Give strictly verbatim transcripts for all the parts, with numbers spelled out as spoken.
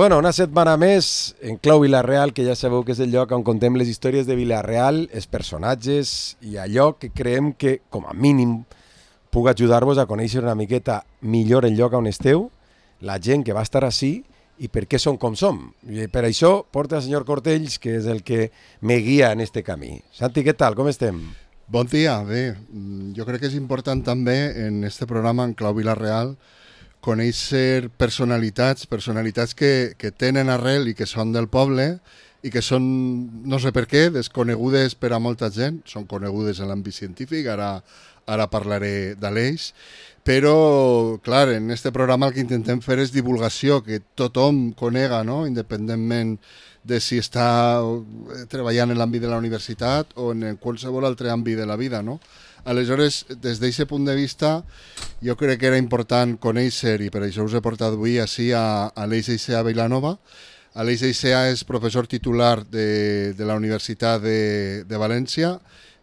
Bueno, una setmana més en Clau Vila-real, que ja sabeu que és el lloc on contem les històries de Vila-real, els personatges i allò que creiem que, com a mínim, puc ajudar-vos a conèixer una miqueta millor el lloc on esteu, la gent que va estar ací i per què som com som. I per això porta el senyor Cortells, que és el que me guia en este camí. Santi, què tal? Com estem? Bon dia, bé. Jo crec que és important també en este programa, en Clau Vila-real, conèixer personalitats, personalitats que, que tenen arrel i que són del poble i que són, no sé per què, desconegudes per a molta gent, són conegudes en l'àmbit científic, ara, ara parlaré d'ells, però, clar, en aquest programa el que intentem fer és divulgació, que tothom conega, no?, independentment de si està treballant en l'àmbit de la universitat o en qualsevol altre àmbit de la vida, no? Aleshores, des d'aquest punt de vista, jo crec que era important conèixer, i per això us he portat avui així a Aleix Aixea Vilanova. Aleix Aixea és professor titular de, de la Universitat de, de València.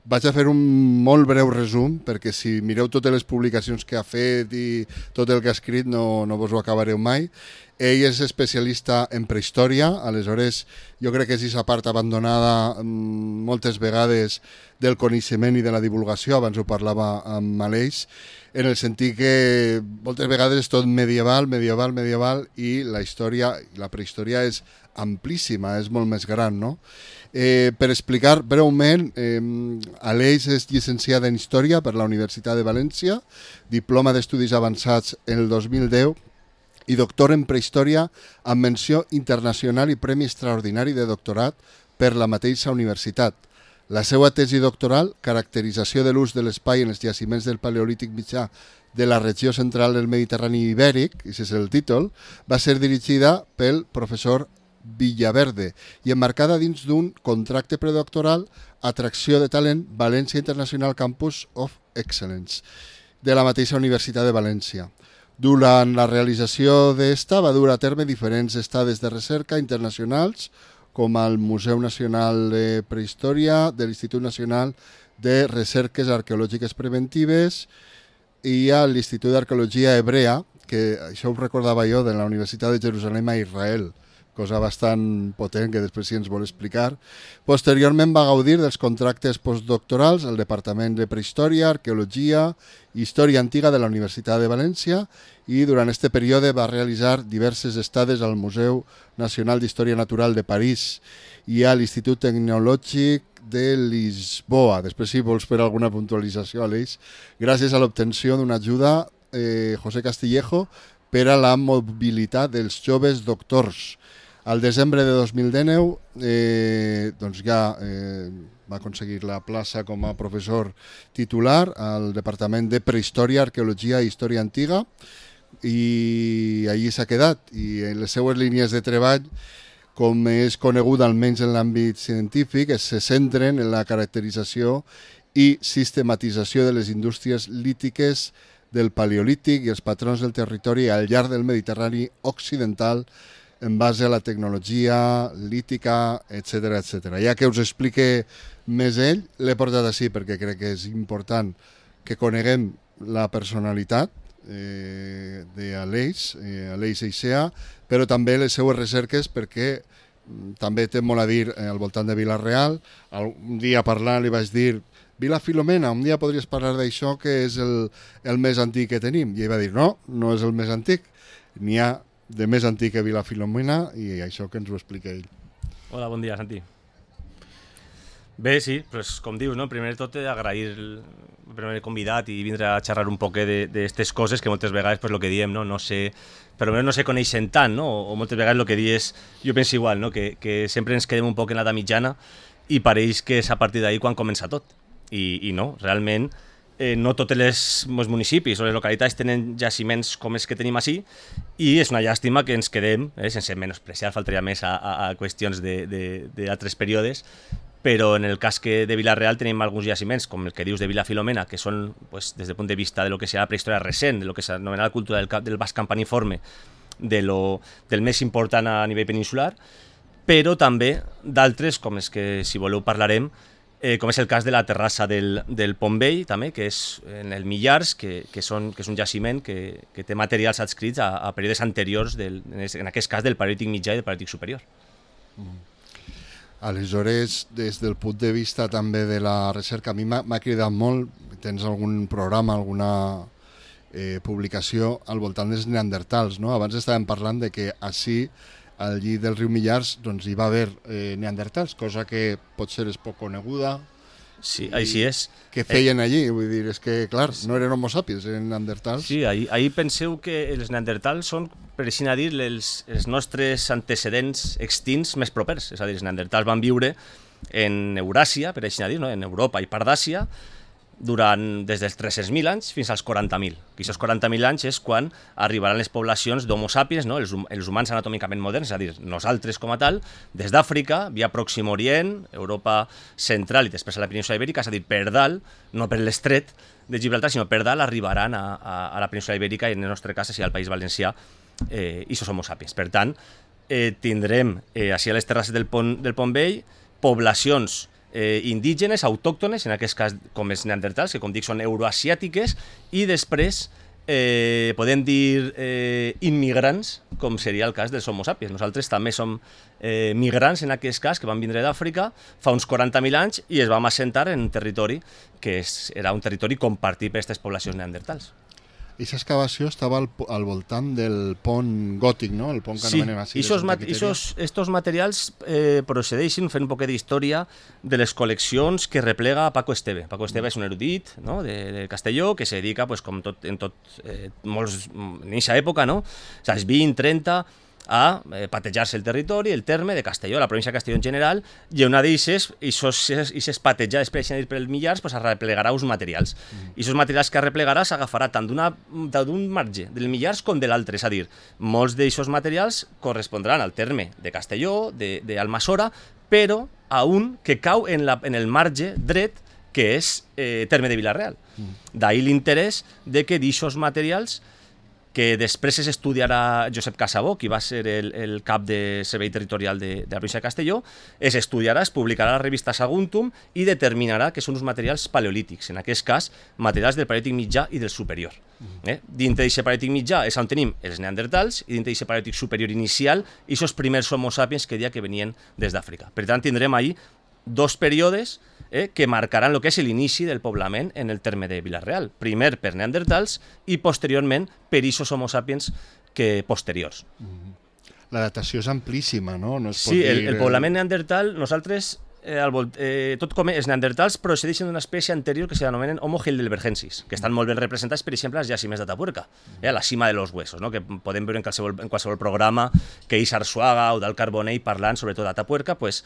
Vaig a fer un molt breu resum, perquè si mireu totes les publicacions que ha fet i tot el que ha escrit no, no vos ho acabareu mai. Ell és especialista en prehistòria, aleshores jo crec que és aquesta part abandonada moltes vegades del coneixement i de la divulgació, abans ho parlava amb Aleix, en el sentit que moltes vegades és tot medieval, medieval, medieval, i la història, la prehistòria és amplíssima, és molt més gran, no? Eh, per explicar breument, eh, Aleix és llicenciada en Història per la Universitat de València, diploma d'Estudis Avançats en el dos mil deu i doctor en Prehistòria amb menció internacional i premi extraordinari de doctorat per la mateixa universitat. La seva tesi doctoral, caracterització de l'ús de l'espai en els jaciments del Paleolític mitjà de la regió central del Mediterrani ibèric, i és el títol, va ser dirigida pel professor Villaverde i emmarcada dins d'un contracte predoctoral Atracció de talent València International Campus of Excellence de la mateixa Universitat de València. Durant la realització d'esta va dur a terme diferents estades de recerca internacionals com al Museu Nacional de Prehistòria de l'Institut Nacional de Recerques Arqueològiques Preventives i a l'Institut d'Arqueologia Hebrea, que això ho recordava jo, de la Universitat de Jerusalem a Israel, cosa bastant potent que després sí ens vol explicar. Posteriorment va gaudir dels contractes postdoctorals al Departament de Prehistòria, Arqueologia i Història Antiga de la Universitat de València i durant aquest període va realitzar diverses estades al Museu Nacional d'Història Natural de París i a l'Institut Tecnològic de Lisboa. Després, si vols fer alguna puntualització, Aleix, gràcies a l'obtenció d'una ajuda eh, José Castillejo per a la mobilitat dels joves doctors. Al desembre de dos mil dinou eh, doncs ja eh, va aconseguir la plaça com a professor titular al Departament de Prehistòria, Arqueologia i Història Antiga i allí s'ha quedat. I en les seues línies de treball, com és conegut almenys en l'àmbit científic, se centren en la caracterització i sistematització de les indústries lítiques del Paleolític i els patrons del territori al llarg del Mediterrani occidental en base a la tecnologia lítica, etcètera, etcètera. Ja que us explique més ell, l'he portat així perquè crec que és important que coneguem la personalitat eh, d'Aleix, eh, Aleix Aixea, però també les seues recerques perquè també té molt a dir al voltant de Vila-real. Un dia parlant li vaig dir Vila Filomena, un dia podries parlar d'això que és el, el més antic que tenim. I ell va dir no, no és el més antic, n'hi ha de més antic que Vila Filomena i això que ens ho explica ell. Hola, bon dia, Santi. Bé, sí, pues, com dius, no? Primer de tot agrair per haver convidat i vindre a xerrar un poc d'aquestes coses que moltes vegades, pues, el que diem, no, no sé, però no se coneixen tant, no? O moltes vegades el que dius, jo penso igual, no? que, que sempre ens quedem un poc en l'edat mitjana i pareix que és a partir d'ahir quan comença tot. I, i no, realment, eh, no tots els, els municipis o les localitats tenen jaciments com els que tenim així i és una llàstima que ens quedem, eh, sense menospreciar, faltaria més a, a, a qüestions d'altres períodes, però en el cas que de Vila-real tenim alguns jaciments, com el que dius de Vila Filomena, que són, pues, des del punt de vista de lo que serà la prehistòria recent, de lo que s'anomena la cultura del, del basc campaniforme, de lo, del més important a nivell peninsular, però també d'altres, com els que, si voleu, parlarem, eh, com és el cas de la terrassa del, del Pont Vell, també, que és en el Millars, que, que, són, que és un jaciment que, que té materials adscrits a, a períodes anteriors, del, en aquest cas del Paleolític mitjà i del Paleolític superior. Mm. Aleshores, des del punt de vista també de la recerca, a mi m'ha cridat molt, tens algun programa, alguna eh, publicació al voltant dels neandertals, no? Abans estàvem parlant de que així, al llit del riu Millars, doncs hi va haver eh, neandertals, cosa que potser és poc coneguda. Sí, així és. Què feien allí? Vull dir, és que, clar, no eren homo sapiens, eren neandertals. Sí, ahir, ahir penseu que els neandertals són, per així dir, els, els nostres antecedents extints més propers. És a dir, els neandertals van viure en Euràsia, per així dir, no? En Europa i part d'Àsia, durant des dels tres-cents mil anys fins als quaranta mil. I aquests quaranta mil anys és quan arribaran les poblacions d'Homo sapiens, no? els, els humans anatòmicament moderns, és a dir, nosaltres com a tal, des d'Àfrica, via Pròxim Orient, Europa central i després a la península Ibèrica, és a dir, per dalt, no per l'estret de Gibraltar, sinó per dalt arribaran a, a, a la península Ibèrica i en el nostre cas, així al País Valencià, eh, i sos Homo sapiens. Per tant, eh, tindrem, eh, així a les terrasses del Pont, del Pont Vell, poblacions Eh, indígenes, autòctones, en aquest cas com els neandertals, que com dic són euroasiàtiques, i després eh, podem dir eh, immigrants, com seria el cas dels Homo sapiens. Nosaltres també som eh, migrants en aquest cas, que van vindre d'Àfrica fa uns quaranta mil anys i es vam assentar en un territori que és, era un territori compartit per aquestes poblacions neandertals. Aquesta excavació estava al, al voltant del pont gòtic, no? El pont que sí, anomenem així. Sí, aquests materials eh, procedeixen, fent un poquet d'història, de les col·leccions que replega Paco Esteve. Paco Esteve és un erudit, no? de, de Castelló, que se dedica, pues, com tot, en tot, eh, molts, en aquesta època, no? O sigui, vint, trenta, a eh, patejar-se el territori, el terme de Castelló, la província de Castelló en general, i una d'eixes, i aquestes patejades per exemple pel Millars, pues, arreplegarà uns materials. Mm. I aquests materials que arreplegarà s'agafarà tant d'un marge del Millars com de l'altre, és a dir, molts d'aquests materials correspondran al terme de Castelló, d'Almassora, però a un que cau en, la, en el marge dret, que és eh, terme de Vila-real. Mm. D'ahir l'interès de que d'aquests materials que després es estudiarà Josep Casabó, qui va ser el, el cap de servei territorial de, de la província de Castelló, es estudiarà, es publicarà a la revista Saguntum i determinarà que són uns materials paleolítics, en aquest cas, materials del paleolític mitjà i del superior. Eh? Dintre d'aquest paleolític mitjà és on tenim els neandertals i dintre d'aquest paleolític superior inicial i aquests primers homo sapiens que deia que venien des d'Àfrica. Per tant, tindrem ahir dos períodes Eh, que marcaran el que és l'inici del poblament en el terme de Vila-real. Primer per neandertals i posteriorment per aquests homo sapiens que posteriors. La datació és amplíssima, no? No es pot sí, dir... el, el poblament neandertal, nosaltres, eh, al volt, eh, tot com els neandertals procedeixen d'una espècie anterior que s'anomenen Homo heidelbergensis, que estan molt ben representats, per exemple, als jaciments d'Atapuerca, eh, a la cima de los huesos, no? Que podem veure en qualsevol, en qualsevol programa que és Arsuaga o del Carbonell parlant sobretot d'Atapuerca, pues,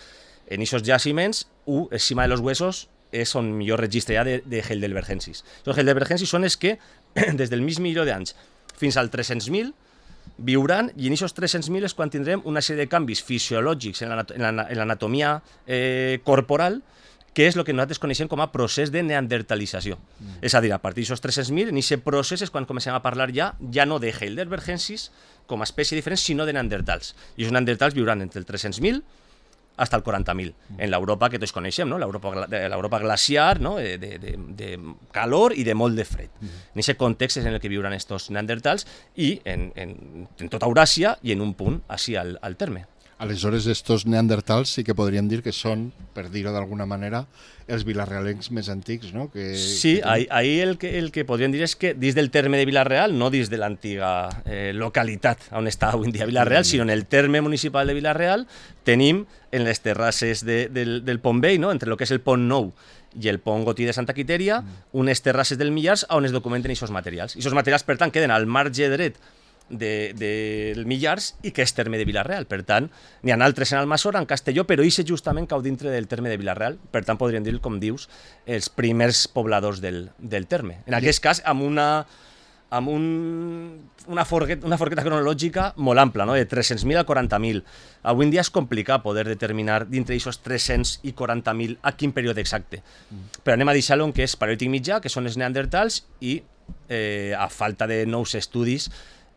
en aquests jaciments, u, és cima de los huesos, és on millor registre ja de, de heidelbergensis. Els heidelbergensis són els que, des del mig milió d'anys fins al tres-cents mil, viuran, i en aquests tres-cents mil és quan tindrem una sèrie de canvis fisiològics en l'anatomia eh, corporal, que és el que nosaltres coneixem com a procés de neandertalització. Mm. És a dir, a partir d'aquests tres-cents mil, en aquest procés és quan comencem a parlar ja, ja no de heidelbergensis com a espècie diferent, sinó de neandertals. I els neandertals viuran entre el tres-cents mil hasta el quaranta mil, en l'Europa que tots coneixem, no? l'Europa glaciar, no? de, de, de calor i de molt de fred. Mm. En aquest context és en el que viuran estos neandertals i en, en, en tota Euràsia i en un punt així al, al terme. Aleshores, estos neandertals sí que podríem dir que són, per dir-ho d'alguna manera, els vilarrealencs més antics, no? Que, sí, que ahí, ahí el, que, el que podríem dir és que dins del terme de Vila-real, no dins de l'antiga eh, localitat on està avui en dia Vila-real, sinó en el terme municipal de Vila-real, tenim en les terrasses de, del, del Pont Vell, no? Entre el que és el Pont Nou i el Pont Gotí de Santa Quiteria, mm. unes terrasses del Millars on es documenten aquests materials. I aquests materials, per tant, queden al marge dret del de, de Millars i que és terme de Vila-real. Per tant, n'hi ha altres en Almassora, en Castelló, però ixe justament cau dintre del terme de Vila-real. Per tant, podríem dir, com dius, els primers pobladors del, del terme. En aquest cas, amb una, amb un, una, forqueta, una forqueta cronològica molt ampla, no? De tres-cents mil a quaranta mil. Avui en dia és complicat poder determinar dintre d'aquests tres-cents i quaranta mil a quin període exacte. Mm. Però anem a deixar-lo en què és paleolític mitjà, que són els neandertals, i eh, a falta de nous estudis,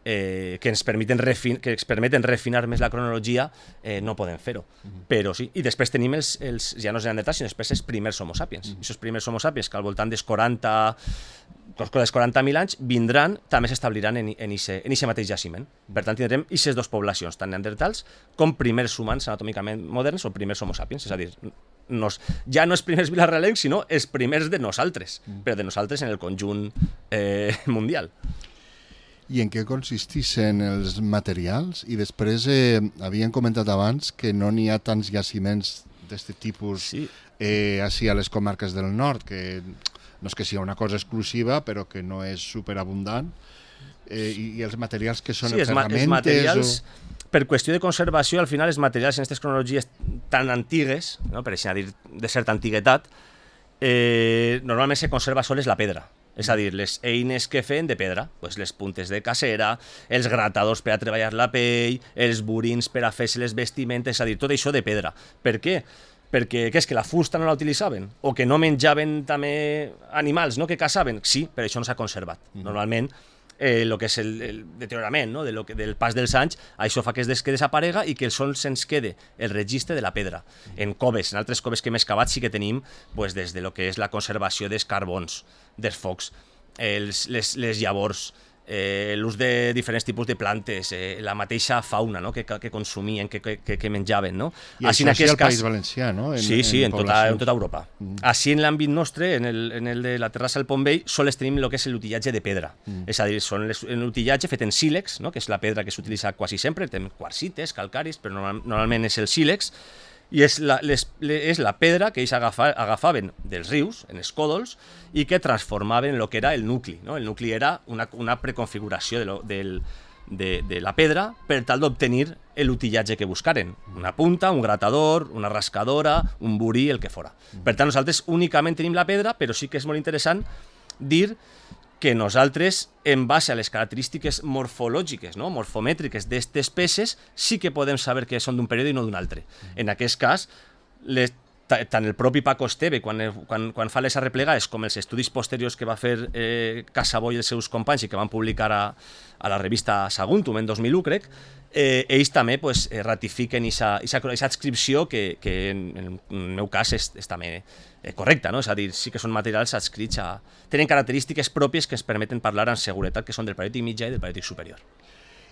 eh, que, ens permeten refin que ens permeten refinar més la cronologia, eh, no podem fer-ho. Mm-hmm. Però sí. I després tenim els, els ja no els neandertals, sinó després els primers homo sapiens. Mm-hmm. Aquests primers homo sapiens, que al voltant dels quaranta dels quaranta mil anys, vindran, també s'establiran en aquest mateix jaciment. Per tant, tindrem aquestes dues poblacions, tant neandertals com primers humans anatòmicament moderns o primers homo sapiens, és a dir, nos, ja no els primers vilarealencs, sinó els primers de nosaltres, mm. però de nosaltres en el conjunt eh, mundial. I en què consisteixen els materials? I després eh, havien comentat abans que no n'hi ha tants jaciments d'aquest tipus sí. eh, així a les comarques del nord, que no és que sigui una cosa exclusiva, però que no és superabundant. Eh, i, I els materials que són sí, els ferramentes... Els materials, o... per qüestió de conservació, al final els materials en aquestes cronologies tan antigues, no? Per així dir, de certa antiguitat, eh, normalment se conserva sols la pedra. És a dir, les eines que feien de pedra, pues les puntes de cacera, els gratadors per a treballar la pell, els burins per a fer-se les vestimentes, és a dir, tot això de pedra. Per què? Perquè què és, que la fusta no la utilitzaven? O que no menjaven també animals, no? Que caçaven? Sí, però això no s'ha conservat. Mm. Normalment, el eh, que és el, el deteriorament, no? de lo que, del pas dels anys, això fa que es des, que desaparega i que sols se'ns quede el registre de la pedra. Mm. En coves, en altres coves que hem excavat sí que tenim pues, des de lo que és la conservació dels carbons, dels focs, els, les, les llavors, eh, l'ús de diferents tipus de plantes, eh, la mateixa fauna, no? que, que consumien, que, que, que menjaven. No? I això sí al País Valencià, no? En, sí, sí, en, en, tota, en tota Europa. Mm. Així en l'àmbit nostre, en el, en el de la terrassa del Pont Vell, sols tenim el que és l'utillatge de pedra. Mm. És a dir, són l'utillatge fet en sílex, no? Que és la pedra que s'utilitza quasi sempre, tenim quarsites, calcaris, però normal, normalment és el sílex, i és la, les, és la pedra que ells agafa, agafaven dels rius, en els còdols, i que transformaven en el que era el nucli. No? El nucli era una, una preconfiguració de, lo, del, de, de la pedra per tal d'obtenir l'utillatge que buscaren. Una punta, un gratador, una rascadora, un burí, el que fora. Per tant, nosaltres únicament tenim la pedra, però sí que és molt interessant dir que nosaltres, en base a les característiques morfològiques, no? morfomètriques d'aquestes peces, sí que podem saber que són d'un període i no d'un altre. En aquest cas, les, tant el propi Paco Esteve, quan, quan, quan fa les arreplegades, com els estudis posteriors que va fer eh, Casabó i els seus companys i que van publicar a, a la revista Saguntum en dos mil u, crec, eh, ells també pues, eh, ratifiquen aquesta adscripció que, que en, en el meu cas és, és també eh, correcta, no? És a dir, sí que són materials adscrits a... tenen característiques pròpies que ens permeten parlar amb seguretat, que són del paleolític mitjà i del paleolític superior.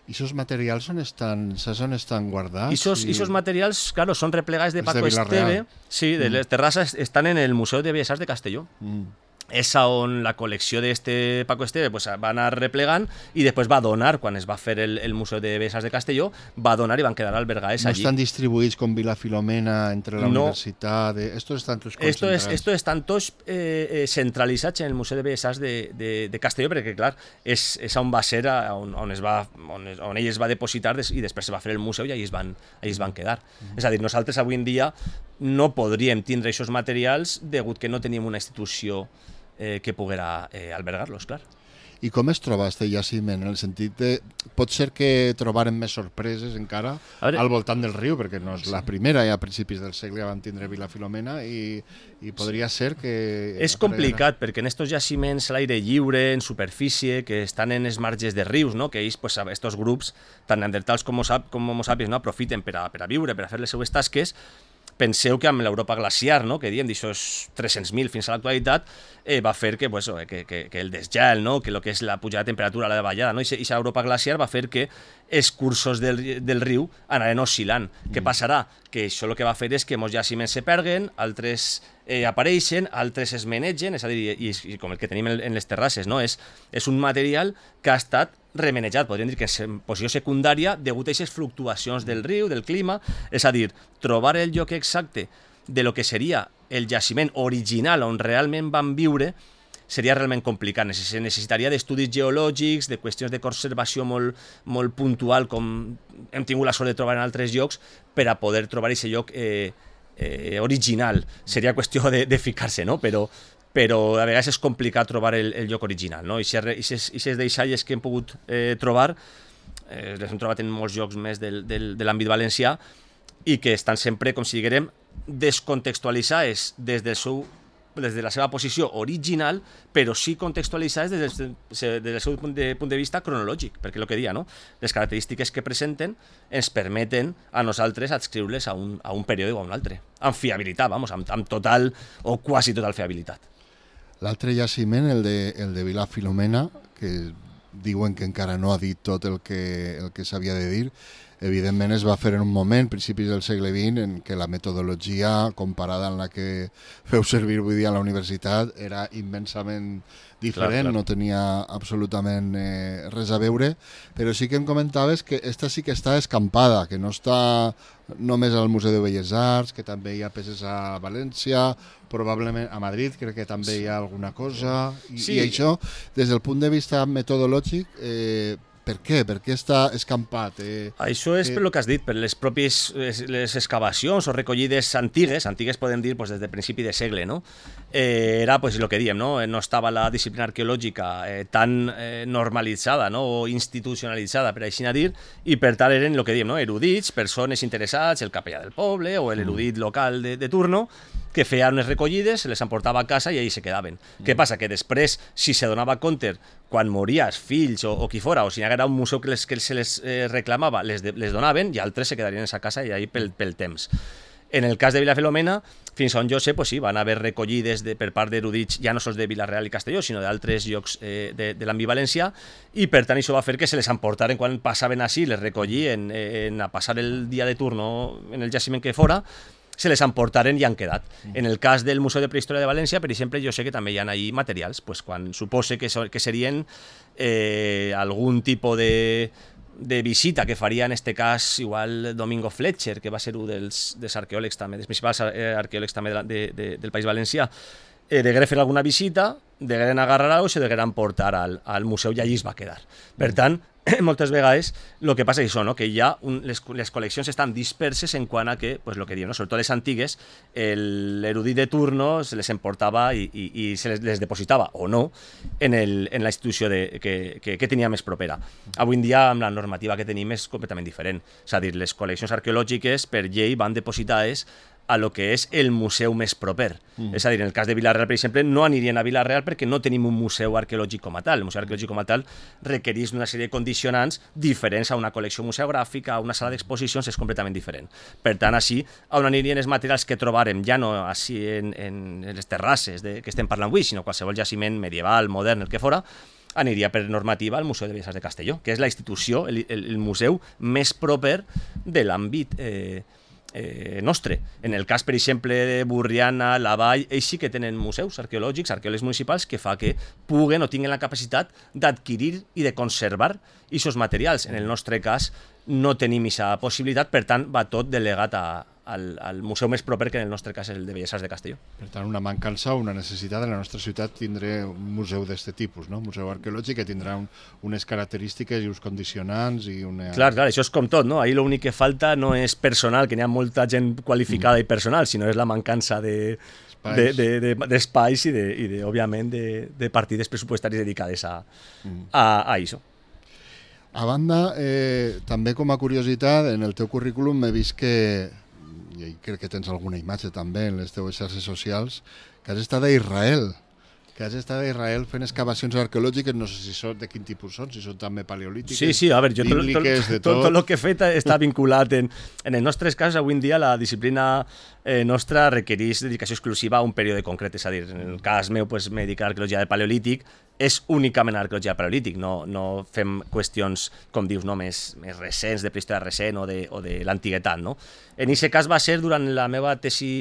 I aquests materials on estan, on estan guardats? I aquests i... materials, claro, són replegats de Paco de Esteve, sí, de mm. les terrasses, estan en el Museu de Belles Arts de Castelló. Mm. És on la col·lecció d'este Paco Esteve pues, va anar replegant i després va donar, quan es va fer el, el Museu de Belles Arts de Castelló, va donar i van quedar albergades no allí. No estan distribuïts com Vila Filomena entre la no. universitat? De... Estos están todos Esto es, esto están todos eh, eh, centralitzats en el Museu de Belles Arts de, de, de Castelló, perquè, clar, és, és on va ser, on, on, es va, on, es, on ell es va depositar des, i després es va fer el museu i allí es van, allí es van quedar. Mm. És a dir, nosaltres avui en dia no podríem tindre aquests materials degut que no teníem una institució Eh, que poguera eh, albergar-los, clar. I com es troba este jaciment? En el sentit de... Pot ser que trobaren més sorpreses encara veure, al voltant del riu, perquè no és sí. la primera, ja a principis del segle vam tindre Vila Filomena i, i podria sí. ser que... És complicat, perquè en estos jaciments a l'aire lliure, en superfície, que estan en els marges de rius, no? Que ells, pues, estos grups, tant neandertals com homo sapiens, no? aprofiten per a, per a viure, per a fer les seues tasques. Penseu que amb l'Europa glaciar, no? que diem d'aixòs tres-cents mil fins a l'actualitat, eh, va fer que, pues, que, que, que el desgel, no? que el que és la pujada de temperatura, la davallada, no? i aquesta Europa glaciar va fer que els cursos del, del riu anaren oscil·lant. Mm. Què passarà? Que això el que va fer és que molts jaciments se perguen, altres eh, apareixen, altres es menegen, és a dir, i, i com el que tenim en, en les terrasses, no? és, és un material que ha estat remenejat, podríem dir que és en posició secundària degut a aquestes fluctuacions del riu, del clima, és a dir, trobar el lloc exacte de lo que seria el jaciment original on realment van viure seria realment complicat, necessitaria d'estudis geològics, de qüestions de conservació molt, molt puntual, com hem tingut la sort de trobar en altres llocs, per a poder trobar aquest lloc eh, eh, original. Seria qüestió de, de ficar-se, no? Però però a vegades és complicat trobar el, el lloc original, no? I aquestes deixalles que hem pogut eh, trobar, eh, les hem trobat en molts llocs més del, del, de l'àmbit valencià i que estan sempre, com si diguem, descontextualitzades des del seu des de la seva posició original, però sí contextualitzades des del, des del seu punt de, punt de vista cronològic, perquè el que dia, no? Les característiques que presenten ens permeten a nosaltres adscriure-les a un, a un període o a un altre, amb fiabilitat, vamos, amb, amb total o quasi total fiabilitat. L'altre jaciment, el de, el de Vila Filomena, que diuen que encara no ha dit tot el que, el que s'havia de dir, evidentment es va fer en un moment, principis del segle vint, en què la metodologia comparada amb la que feu servir avui dia a la universitat era immensament diferent, clar, clar. No tenia absolutament eh, res a veure, però sí que em comentaves que esta sí que està escampada, que no està només al Museu de Belles Arts, que també hi ha peces a València, probablement a Madrid, crec que també hi ha alguna cosa, i, sí. I això, des del punt de vista metodològic, eh, per què? Per què està escampat? Eh, Això és eh... per el que has dit, per les pròpies les excavacions o recollides antigues, antigues podem dir pues, des del principi de segle, no? Eh, era pues, el que diem, no? No estava la disciplina arqueològica eh, tan eh, normalitzada, no? O institucionalitzada, per així dir, i per tant eren el que diem, no? Erudits, persones interessats, el capellà del poble o l'erudit local de, de turno, que feien unes recollides, se les emportava a casa i ahí se quedaven. Mm. Què passa? Que després, si se donava compte, quan mories, fills o, o qui fora, o si hi haguera un museu que, les, que se les eh, reclamava, les, de, les donaven i altres se quedarien a casa i ahí pel, pel temps. En el cas de Vila Filomena, fins on jo sé, pues sí, van haver recollides de, per part d'erudits, ja no sols de Vila-real i Castelló, sinó d'altres llocs eh, de, de l'àmbit valencià, i per tant això va fer que se les emportaren quan passaven així, les recollien en, a passar el dia de turno en el jaciment que fora, se les emportaren i han quedat. En el cas del Museu de Prehistòria de València, per exemple, jo sé que també hi ha ahí materials, pues, quan supose que, so, que serien eh, algun tipus de, de visita que faria en este cas igual Domingo Fletcher, que va ser un dels, dels arqueòlegs també, dels principals arqueòlegs també de, de, de, del País Valencià, eh, degueren fer alguna visita, degueren agarrar-ho i se degueren portar al, al museu i allí es va quedar. Per tant, moltes vegades el que passa és això, no? Que hi ha un, les, les col·leccions estan disperses en quant a que, pues, lo que diu, no? Sobretot les antigues, l'erudit de turno se les emportava i, i, i se les, les depositava o no en, el, en la institució de, que, que, que tenia més propera. Avui en dia, amb la normativa que tenim, és completament diferent. És a dir, les col·leccions arqueològiques per llei van depositades a lo que és el museu més proper. Mm. És a dir, en el cas de Vila-real, per exemple, no anirien a Vila-real perquè no tenim un museu arqueològic com a tal. El museu arqueològic com a tal requereix una sèrie de condicionants diferents a una col·lecció museogràfica, a una sala d'exposicions, és completament diferent. Per tant, així, on anirien els materials que trobarem, ja no així en, en les terrasses de, que estem parlant avui, sinó qualsevol jaciment medieval, modern, el que fora, aniria per normativa al Museu de Belles Arts de Castelló, que és la institució, el, el, el museu més proper de l'àmbit eh, Eh, nostre. En el cas, per exemple, de Burriana, la Vall, ells sí que tenen museus arqueològics, arqueòlegs municipals, que fa que puguen o tinguin la capacitat d'adquirir i de conservar aquests materials. En el nostre cas no tenim aquesta possibilitat, per tant va tot delegat a, al, al museu més proper, que en el nostre cas és el de Belles Arts de Castelló. Per tant, una mancança o una necessitat en la nostra ciutat tindre un museu d'aquest tipus, no? Un museu arqueològic que tindrà un, unes característiques i uns condicionants i una... Clar, clar, això és com tot, no? Ahí l'únic que falta no és personal, que n'hi ha molta gent qualificada mm. i personal, sinó és la mancança de d'espais de, de, de, i, de, i de, òbviament, de, de partides pressupostàries dedicades a, mm. a, a això. A banda, eh, també com a curiositat, en el teu currículum he vist que, i crec que tens alguna imatge també en les teues xarxes socials, que has estat a Israel, que has estat a Israel fent excavacions arqueològiques, no sé si són de quin tipus són, si són també paleolítiques, sí, sí, a veure, jo bíbliques, tot, de tot. Tot, tot el que he fet està vinculat en, en els nostres casos. Avui en dia la disciplina eh, nostra requereix dedicació exclusiva a un període concret, és a dir, en el cas meu pues, m'he dedicat a l'arqueologia del paleolític, és únicament arqueologia del paleolític, no, no fem qüestions, com dius, no, més, més recents, de prehistòria recent o de, o de l'antiguitat, no? En aquest cas va ser durant la meva tesi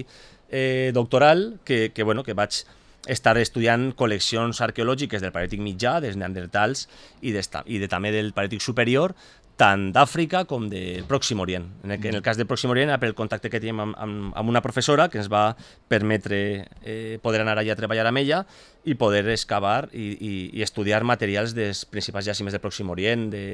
eh, doctoral que, que, bueno, que vaig estar estudiant col·leccions arqueològiques del Paleolític mitjà, dels neandertals i, i de, també del Paleolític superior, tant d'Àfrica com del Pròxim Orient. En el, en el cas del Pròxim Orient, per el contacte que teníem amb, amb, amb una professora que ens va permetre eh, poder anar allà a treballar amb ella i poder excavar i, i, i estudiar materials dels principals jaciments del Pròxim Orient, de,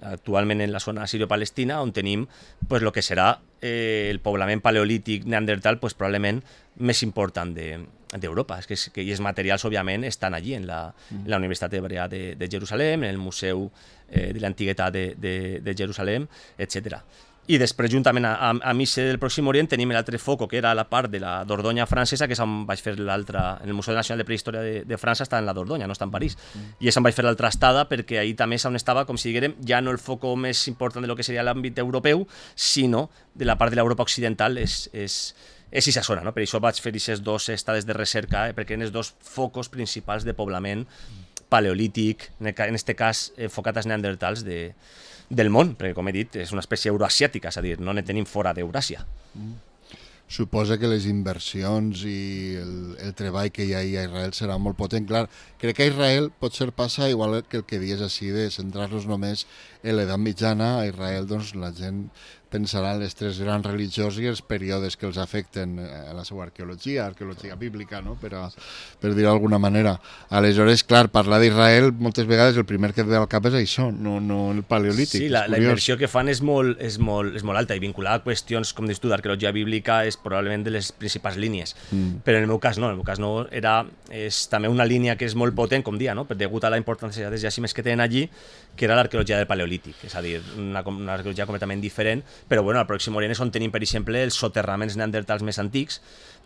actualment en la zona sirio-palestina, on tenim pues, el que serà eh, el poblament paleolític neandertal pues, probablement més important d'Europa. De, és que, que els materials, òbviament, estan allí, en la, mm. en la Universitat Hebrea de, de Jerusalem, en el Museu eh, de l'Antiguitat de, de, de Jerusalem, etcètera. i després, juntament a, a, a Missa del Pròxim Orient, tenim l'altre foco, que era la part de la Dordonya francesa, que és on vaig fer l'altra... En el Museu Nacional de Prehistòria de, de França està en la Dordonya, no està en París. Mm. I és on vaig fer l'altra estada, perquè ahir també és on estava, com si diguérem, ja no el foco més important de lo que seria l'àmbit europeu, sinó de la part de l'Europa occidental, és, és, és aquesta zona, no? Per això vaig fer aquestes dues estades de recerca, eh? Perquè eren els dos focos principals de poblament paleolític, en aquest cas enfocat als neandertals de... del món, perquè com he dit és una espècie euroasiàtica, és a dir, no ne tenim fora d'Euràsia. Mm. Suposa que les inversions i el, el treball que hi ha a Israel serà molt potent. Clar, crec que a Israel pot ser passa igual que el que dius així de centrar-nos només en l'edat mitjana. A Israel doncs, la gent pensarà en les tres grans religions i els períodes que els afecten a la seva arqueologia, arqueologia bíblica, no? per, a, per dir-ho d'alguna manera. Aleshores, clar, parlar d'Israel moltes vegades el primer que et ve al cap és això, no, no el paleolític. Sí, la, la inversió que fan és molt, és, molt, és molt alta i vinculada a qüestions, com dius tu, d'arqueologia bíblica és probablement de les principals línies. Mm. Però en el meu cas no, en el meu cas no, era, és també una línia que és molt potent, com dia, no? Degut a la importància dels jaciments que tenen allí, que era l'arqueologia del paleolític, és a dir, una, una arqueologia completament diferent, però bueno, al Pròxim Orient és on tenim, per exemple, els soterraments neandertals més antics,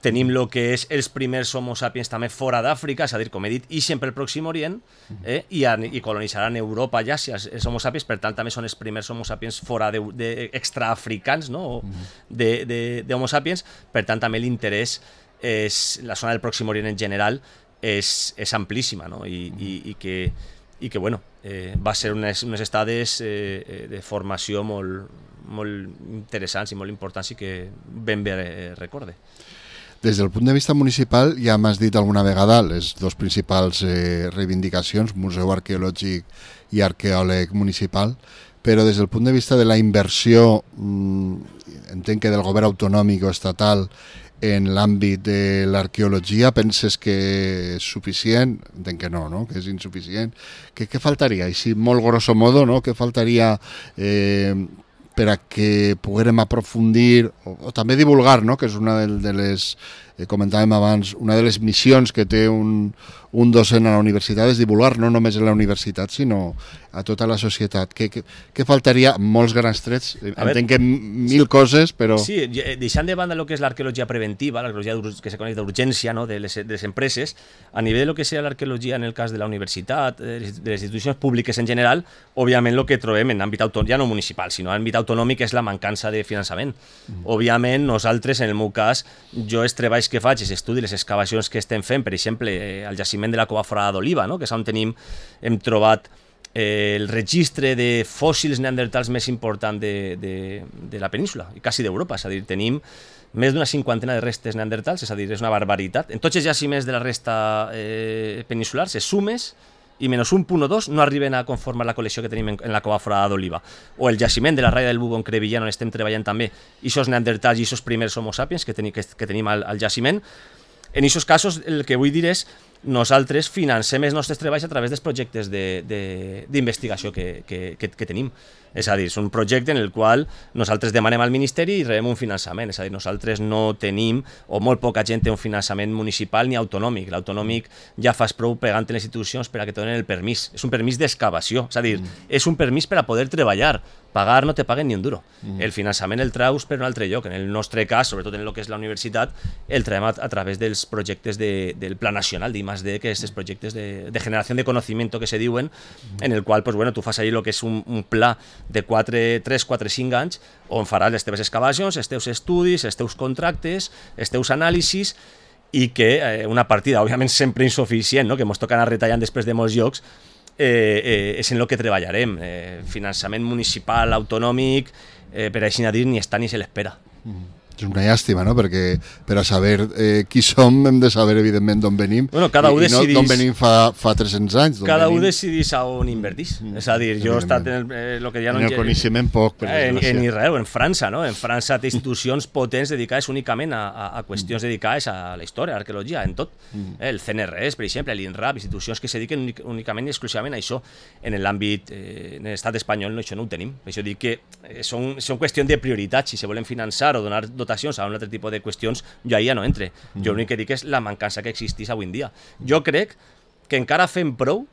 tenim el que és els primers homo sapiens també fora d'Àfrica, és a dir, com he dit, i sempre el Pròxim Orient, eh, i, i colonitzaran Europa ja, si els, els homo sapiens, per tant també són els primers homo sapiens fora de, de extraafricans, no? de, de, de homo sapiens, per tant també l'interès és, la zona del Pròxim Orient en general és, és amplíssima, no? I, i, i que i que bueno, eh, va ser unes, unes estades eh, de formació molt, molt interessants i molt importants i que ben bé eh, recorde. Des del punt de vista municipal, ja m'has dit alguna vegada les dues principals eh, reivindicacions, Museu Arqueològic i Arqueòleg Municipal, però des del punt de vista de la inversió, mmm, entenc que del govern autonòmic o estatal, en l'àmbit de l'arqueologia, penses que és suficient? Entenc que no, no? Que és insuficient. Què, què faltaria? Així, molt grosso modo, no? Què faltaria eh, per a que poguérem aprofundir o, o també divulgar, no? Que és una de, de les, eh, comentàvem abans, una de les missions que té un, un docent a la universitat és divulgar no només en la universitat, sinó a tota la societat. Què, què, què faltaria? Molts grans trets. A Entenc veure, que mil coses, però... Sí, deixant de banda el que és l'arqueologia preventiva, l'arqueologia que se coneix d'urgència, no? de, les, de les empreses, a nivell del que seria l'arqueologia en el cas de la universitat, de les institucions públiques en general, òbviament el que trobem en àmbit autonòmic, ja no municipal, sinó en àmbit autonòmic, és la mancança de finançament. Mm. Òbviament, nosaltres, en el meu cas, jo els treballs que faig, els estudis, les excavacions que estem fent, per exemple, eh, al jaciment de la Cova Forada d'Oliva, no? Que és on tenim, hem trobat Eh, el registre de fòssils neandertals més important de, de, de la península, i quasi d'Europa, és a dir, tenim més d'una cinquantena de restes neandertals, és a dir, és una barbaritat. En tots els jaciments de la resta eh, peninsular, se sumes i menys un punt o dos no arriben a conformar la col·lecció que tenim en, en la Cova Forada d'Oliva. O el jaciment de la Raya del Bubo en Crevillent, on estem treballant també, i aquests neandertals i aquests primers homo sapiens que, teni, que, que tenim al, al jaciment. En aquests casos, el que vull dir és nosaltres financem els nostres treballs a través dels projectes d'investigació que, que, que, que tenim. És a dir, és un projecte en el qual nosaltres demanem al Ministeri i rebem un finançament. És a dir, nosaltres no tenim, o molt poca gent té un finançament municipal ni autonòmic. L'autonòmic ja fas prou pegant en les institucions per a que te donen el permís. És un permís d'excavació. És a dir, mm. és un permís per a poder treballar. Pagar no te paguen ni un duro. Mm. El finançament el traus per un altre lloc. En el nostre cas, sobretot en el que és la universitat, el traiem a, a través dels projectes de, del Pla Nacional d'I más D, que és els projectes de, de generació de conocimiento que se diuen, mm. en el qual pues, bueno, tu fas allí el que és un, un pla de quatre, tres, quatre, cinc anys on faràs les teves excavacions, els teus estudis, els teus contractes, els teus anàlisis, i que eh, una partida, òbviament sempre insuficient, no? Que ens toca anar retallant després de molts llocs, eh, eh, és en el que treballarem. Eh, finançament municipal, autonòmic, eh, per així dir, ni està ni se l'espera. Mm. És una llàstima, no? Perquè per a saber eh, qui som hem de saber, evidentment, d'on venim. Bueno, cada i, un decidís... I no d'on venim fa, fa tres-cents anys. Cada venim... un decidís a on invertís. Mm. És a dir, jo he estat en el, eh, lo que ja no... En el coneixement poc, per eh, en, en Israel o en França, no? En França té institucions potents dedicades únicament a, a, a qüestions mm. dedicades a la història, a l'arqueologia, en tot. Mm. Eh, el C N R S, per exemple, l'INRAP, institucions que se dediquen únicament i exclusivament a això. En l'àmbit, eh, en l'estat espanyol, no, això no ho tenim. Per això dic que eh, són, són qüestions de prioritat. Si se volen finançar o donar dotacions a un altre tipus de qüestions, jo ahir ja no entre. Mm. Jo l'únic que dic és la mancança que existís avui en dia. Jo crec que encara fem prou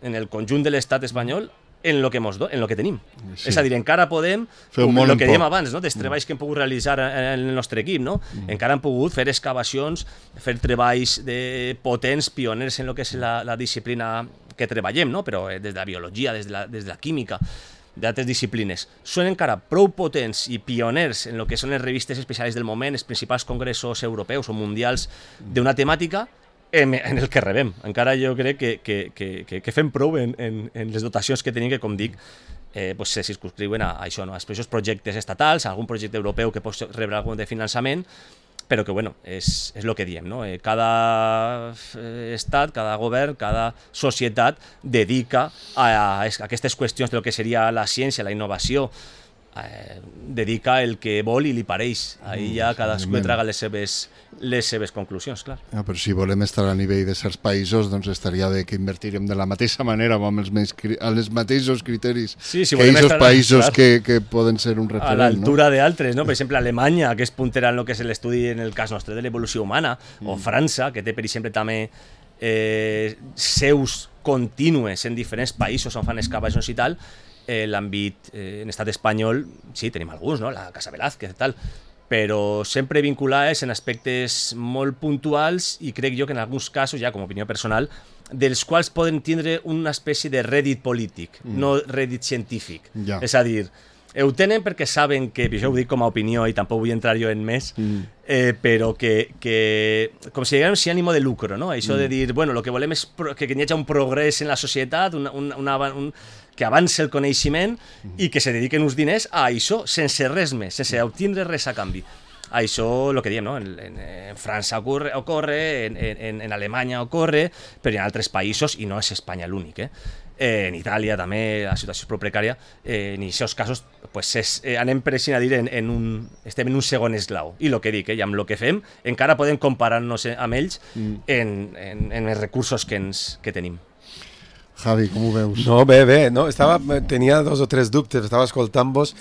en el conjunt de l'estat espanyol en lo que, mos do, en lo que tenim. Sí. És a dir, encara podem, fer un el que dèiem poc. abans, no? dels treballs que hem pogut realitzar en el nostre equip, no? Mm. encara hem pogut fer excavacions, fer treballs de potents, pioners en el que és la, la disciplina que treballem, no? Però des de la biologia, des de la, des de la química, d'altres disciplines. Són encara prou potents i pioners en el que són les revistes especials del moment, els principals congressos europeus o mundials d'una temàtica, en el que rebem. Encara jo crec que, que, que, que, que fem prou en, en, en les dotacions que tenim, que, com dic, eh, pues se circunscriuen a, a això, no? a aquests projectes estatals, a algun projecte europeu que pot rebre algun de finançament, però que, bueno, és, és el que diem, no? Eh, cada estat, cada govern, cada societat dedica a, a, a aquestes qüestions del que seria la ciència, la innovació, eh, dedica el que vol i li pareix. Ahí ja cadascú traga les seves, les seves conclusions, clar. Ja, però si volem estar a nivell de certs països, doncs estaria bé que invertirem de la mateixa manera o amb els, més, amb els mateixos criteris sí, si que aquests països clar, que, que poden ser un referent. A l'altura no? d'altres, no? Per exemple, Alemanya, que és puntera en el que és l'estudi, en el cas nostre, de l'evolució humana, mm. o França, que té, per exemple, també eh, seus contínues en diferents països on fan excavacions i tal. Eh, l'àmbit eh, en estat espanyol, sí, tenim alguns, no? La Casa Velázquez i tal, però sempre vinculades en aspectes molt puntuals i crec jo que en alguns casos, ja com a opinió personal, dels quals poden tindre una espècie de rèdit polític, mm. no rèdit científic. Ja. És a dir, ho tenen perquè saben que, això ho dic com a opinió i tampoc vull entrar jo en més, mm. eh, però que, que com si diguem sin ànimo de lucro, no? Això mm. de dir, bueno, el que volem és pro, que, que hi hagi un progrés en la societat, una, una, una, un, que avanci el coneixement mm. i que se dediquen uns diners a això, sense res més, sense obtindre res a canvi. Això, el que diem, no? en, en, en França ocorre, ocorre en, en, en Alemanya ocorre, però en altres països, i no és Espanya l'únic, eh? Eh, en Itàlia també la situació és prou precària, eh, en aquests casos pues és, eh, anem per així a dir en, en un, estem en un segon esglau, i el que dic, eh, i amb el que fem encara podem comparar-nos amb ells mm. en, en, en els recursos que, ens, que tenim. Javi, com ho veus? No, bé, bé, no, estava, tenia dos o tres dubtes, estava escoltant-vos.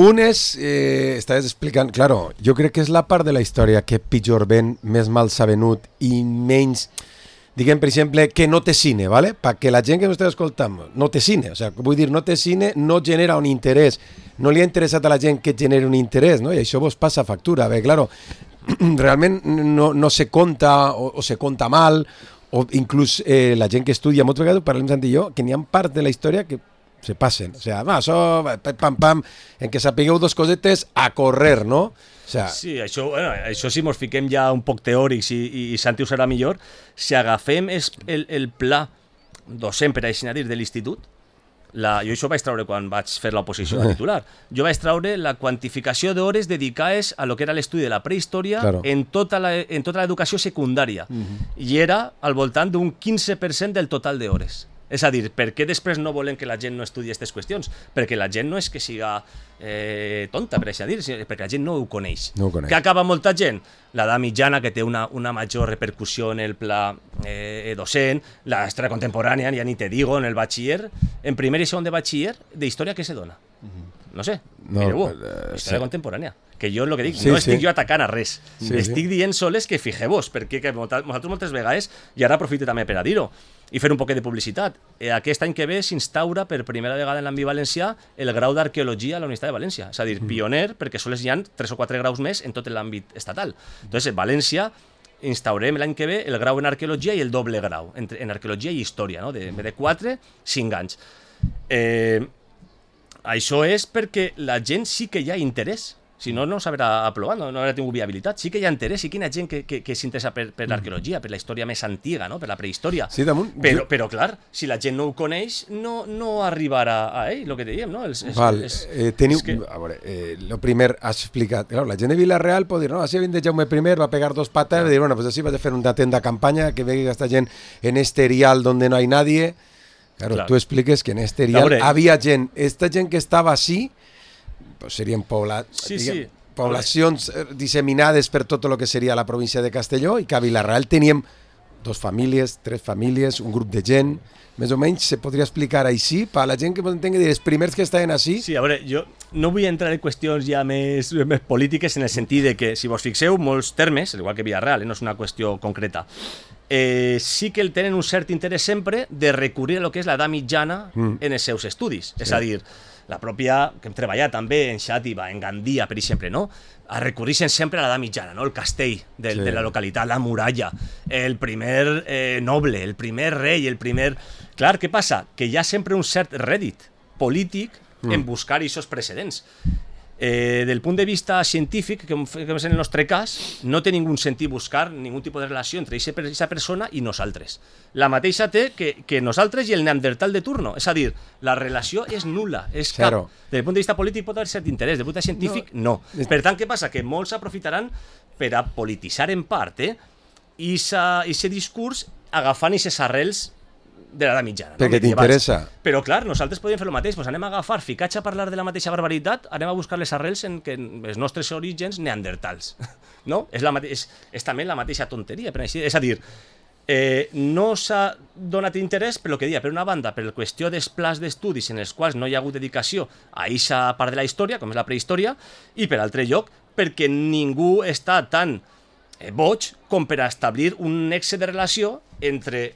Un és, eh, estaves explicant, claro, jo crec que és la part de la història que pitjor ven, més mal s'ha venut i menys, diguem, per exemple, que no té cine, ¿vale? Perquè la gent que m'està escoltant no té cine, o sea, vull dir, no té cine, no genera un interès, no li ha interessat a la gent que generi un interès, no? I això vos passa factura, bé, claro, realment no, no se conta o, o se conta mal, o inclús eh, la gent que estudia, moltes vegades parlem Santi i jo, que n'hi ha part de la història que se passen, o sea, va, això, pam, pam, en què sapigueu dos cosetes a correr, no? O sea, sí, això, bueno, això si mos fiquem ja un poc teòrics i, i, i Santi ho serà millor, si agafem es, el, el pla docent, per així dir, de l'institut, la, jo això vaig traure quan vaig fer l'oposició a titular, jo vaig traure la quantificació d'hores dedicades a lo que era l'estudi de la prehistòria claro. en tota la, en tota l'educació secundària, uh-huh. i era al voltant d'un quinze per cent del total d'hores. És a dir, per què després no volen que la gent no estudi aquestes qüestions? Perquè la gent no és que siga eh, tonta, per així dir, perquè la gent no ho coneix. No ho coneix. Què acaba molta gent? L'edat mitjana, que té una, una major repercussió en el pla eh, docent, la història contemporània, ja ni te digo, en el batxiller, en primer i segon de batxiller, de història què se dona? No sé, no, mireu-ho, uh, història sí. contemporània. Que jo el que dic, sí, no estic sí. jo atacant a res, sí, estic sí. dient soles que fixeu-vos, perquè que nosaltres moltes vegades, i ara aprofito també per a dir-ho, i fer un poquet de publicitat. Eh, aquest any que ve s'instaura per primera vegada en l'àmbit valencià el grau d'arqueologia a la Universitat de València. És a dir, mm. pioner, perquè sols hi ha tres o quatre graus més en tot l'àmbit estatal. Entonces, en València instaurem l'any que ve el grau en arqueologia i el doble grau, entre, en arqueologia i història, no? de, de quatre, cinc anys. Eh, això és perquè la gent sí que hi ha interès. Si no, no s'haurà aprovat, no, no haurà tingut viabilitat. Sí que hi ha interès, sí que hi ha gent que, que, que s'interessa per, per l'arqueologia, per la història més antiga, no? Per la prehistòria. Sí, damunt, però, jo... però, clar, si la gent no ho coneix, no, no arribarà a ell, el que dèiem, no? Els, és, Val, és, eh, teniu... és que... A veure, eh, lo primer has explicat, claro, la gent de Vila-real pot dir, no, així vint de Jaume I, va pegar dos patas, i dir, bueno, pues así vas a fer una tenda campaña, que venga esta gent en este erial donde no hay nadie. Claro, claro. Tú expliques que en este erial veure... había gent, esta gent que estava així, pues serien poblat... Sí, diguem, sí. poblacions disseminades per tot el que seria la província de Castelló, i que a Vila-real teníem dos famílies, tres famílies, un grup de gent, més o menys se podria explicar així, per a la gent que pot entendre els primers que estaven així. Sí, a veure, jo no vull entrar en qüestions ja més, més polítiques, en el sentit de que, si vos fixeu, molts termes, igual que Vila-real, eh, no és una qüestió concreta, eh, sí que el tenen un cert interès sempre de recurrir a lo que és l'edat mitjana mm. en els seus estudis. Sí. És a dir, la pròpia, que hem treballat també en Xàtiva, en Gandia, per exemple, no? Recurreixen sempre a l'edat mitjana, no? El castell del, sí. de la localitat, la muralla, el primer eh, noble, el primer rei, el primer... Clar, què passa? Que hi ha sempre un cert rèdit polític mm. en buscar aquests precedents. Eh, del punt de vista científic, que és en el nostre cas, no té ningú sentit buscar ningú tipus de relació entre aquesta persona i nosaltres. La mateixa té que, que nosaltres i el neandertal de turno. És a dir, la relació és nul·la, és cap. Claro. Des del punt de vista polític pot haver cert interès, des del punt de vista científic, no. no. Per tant, què passa? Que molts aprofitaran per a polititzar en part eh? I aquest discurs agafant aquestes arrels de l'edat mitjana. Perquè no? t'interessa. Però clar, nosaltres podem fer el mateix, pues anem a agafar, ficats a parlar de la mateixa barbaritat, anem a buscar les arrels en que els nostres orígens neandertals. No? És, la mate... és, és també la mateixa tonteria. Per així... És a dir, eh, no s'ha donat interès per el que deia, per una banda, per la qüestió dels plans d'estudis en els quals no hi ha hagut dedicació a aquesta part de la història, com és la prehistòria, i per altre lloc, perquè ningú està tan eh, boig com per establir un nexe de relació entre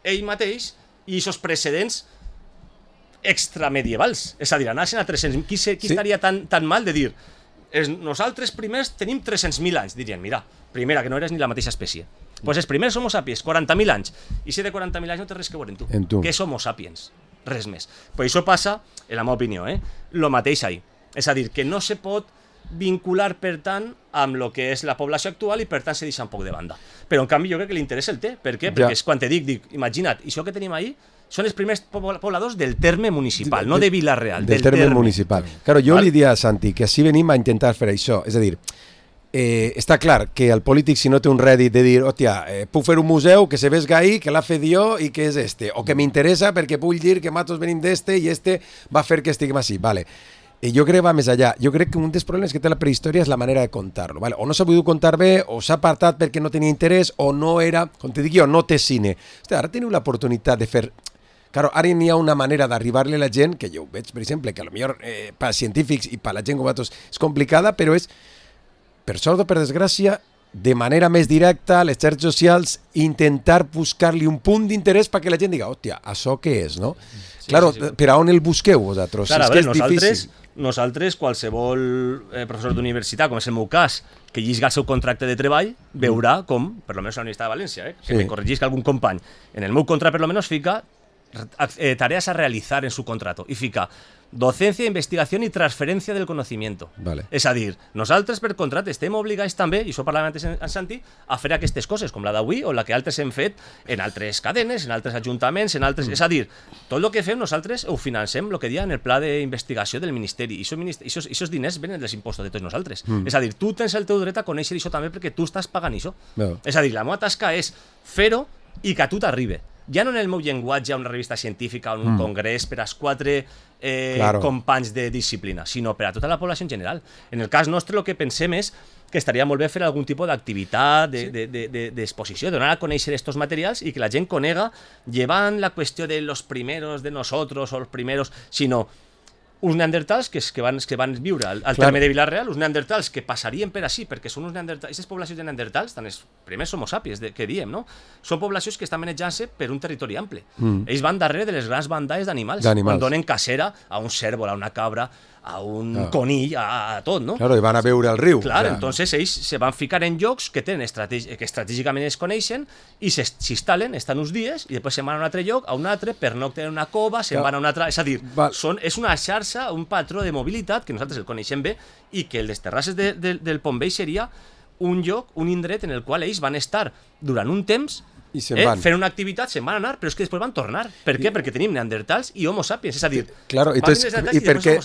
ell mateix i aquests precedents extramedievals. És a dir, anaven a tres-cents... Qui, se, qui sí. estaria tan, tan mal de dir es, nosaltres primers tenim tres-cents mil anys? Dirien, mira, primera, que no eres ni la mateixa espècie. Doncs pues els primers Homo sapiens, quaranta mil anys. I si de quaranta mil anys no té res que veure en tu. En tu. Què és Homo sapiens? Res més. Pues això passa, en la meva opinió, eh? Lo mateix ahí. És a dir, que no se pot vincular, per tant, amb el que és la població actual i, per tant, se deixa un poc de banda. Però, en canvi, jo crec que l'interès el té. Per què? Perquè és quan te dic, dic, imagina't, això que tenim ahí són els primers pobladors del terme municipal, de, no de Vila-real, del, del terme, terme municipal. Claro, jo li diria a Santi que així venim a intentar fer això. És a dir, eh, està clar que el polític, si no té un rèdit de dir, hòstia, eh, puc fer un museu que se vesga ahí, que l'ha fet jo i que és este, o que m'interessa perquè puc dir que matos venim d'este i este va fer que estiguem així. Vale. I jo crec que va més allà. Jo crec que un dels problemes que té la prehistòria és la manera de contar-lo. Vale? O no s'ha pogut contar bé, o s'ha apartat perquè no tenia interès, o no era, com te dic jo, no té cine. Hòstia, ara teniu l'oportunitat de fer... Claro, ara n'hi ha una manera d'arribar-li a la gent, que jo ho veig, per exemple, que potser eh, per als científics i per a la gent com vosaltres és complicada, però és, per sort o per desgràcia, de manera més directa, a les xarxes socials, intentar buscar-li un punt d'interès perquè la gent diga, hòstia, això què és, no? Sí, claro, sí, sí. Per a on el busqueu, vosaltres? Clar, és a veure, que és nosaltres, difícil. Nosaltres, qualsevol eh, professor d'universitat, com és el meu cas, que llisga el seu contracte de treball, veurà com, per almenys a la Universitat de València, eh, que sí. me corregisca algun company, en el meu contracte per almenys fica eh, tareas a realizar en su contrato, i fica docencia, investigación y transferencia del conocimiento. Vale. És a dir, nosaltres per contracte estem obligats també, i això parlàvem antes en Santi, a fer aquestes coses, com la d'avui o la que altres hem fet en altres cadenes, en altres ajuntaments, en altres... Mm. És a dir, tot el que fem nosaltres ho financem, el que dia en el pla d'investigació del Ministeri, i aquests diners venen dels impostos de tots nosaltres. Mm. És a dir, tu tens el teu dret a conèixer això també perquè tu estàs pagant això. No. És a dir, la meva tasca és fer-ho i que a tu t'arribi. Ja no en el meu llenguatge, una revista científica o un mm. congrés per als quatre eh, claro. companys de disciplina, sinó per a tota la població en general. En el cas nostre el que pensem és que estaria molt bé fer algun tipus d'activitat, d'exposició, de, de, de, de donar a conèixer aquests materials i que la gent conega, llevant la qüestió de los primeros de nosotros o los primeros, sinó uns neandertals que, que, van, que van viure al, al terme de Vila-real, uns neandertals que passarien per així, perquè són uns neandertals, aquestes poblacions de neandertals, tant els primers homo sapiens de, que diem, no? Són poblacions que estan manejant-se per un territori ample. Mm. Ells van darrere de les grans bandades d'animals, quan donen cacera a un cérvol, a una cabra, a un claro. conill, a, a tot, no? Claro, i van a veure el riu. Clar, o sea, entonces ells se van ficar en llocs que tenen estrategi que estratègicament es coneixen i s'instal·len, estan uns dies i després se'n van a un altre lloc, a un altre, per no tenir una cova, se'n van a un altre... És a dir, són, és una xarxa, un patró de mobilitat que nosaltres el coneixem bé i que el les terrasses de, de, del Pont Vell seria un lloc, un indret en el qual ells van estar durant un temps i se'n eh, van. Fent una activitat, se'n van anar, però és que després van tornar. Per què? I... Perquè tenim neandertals i homo sapiens, és a dir, claro, entonces, i, i, per què,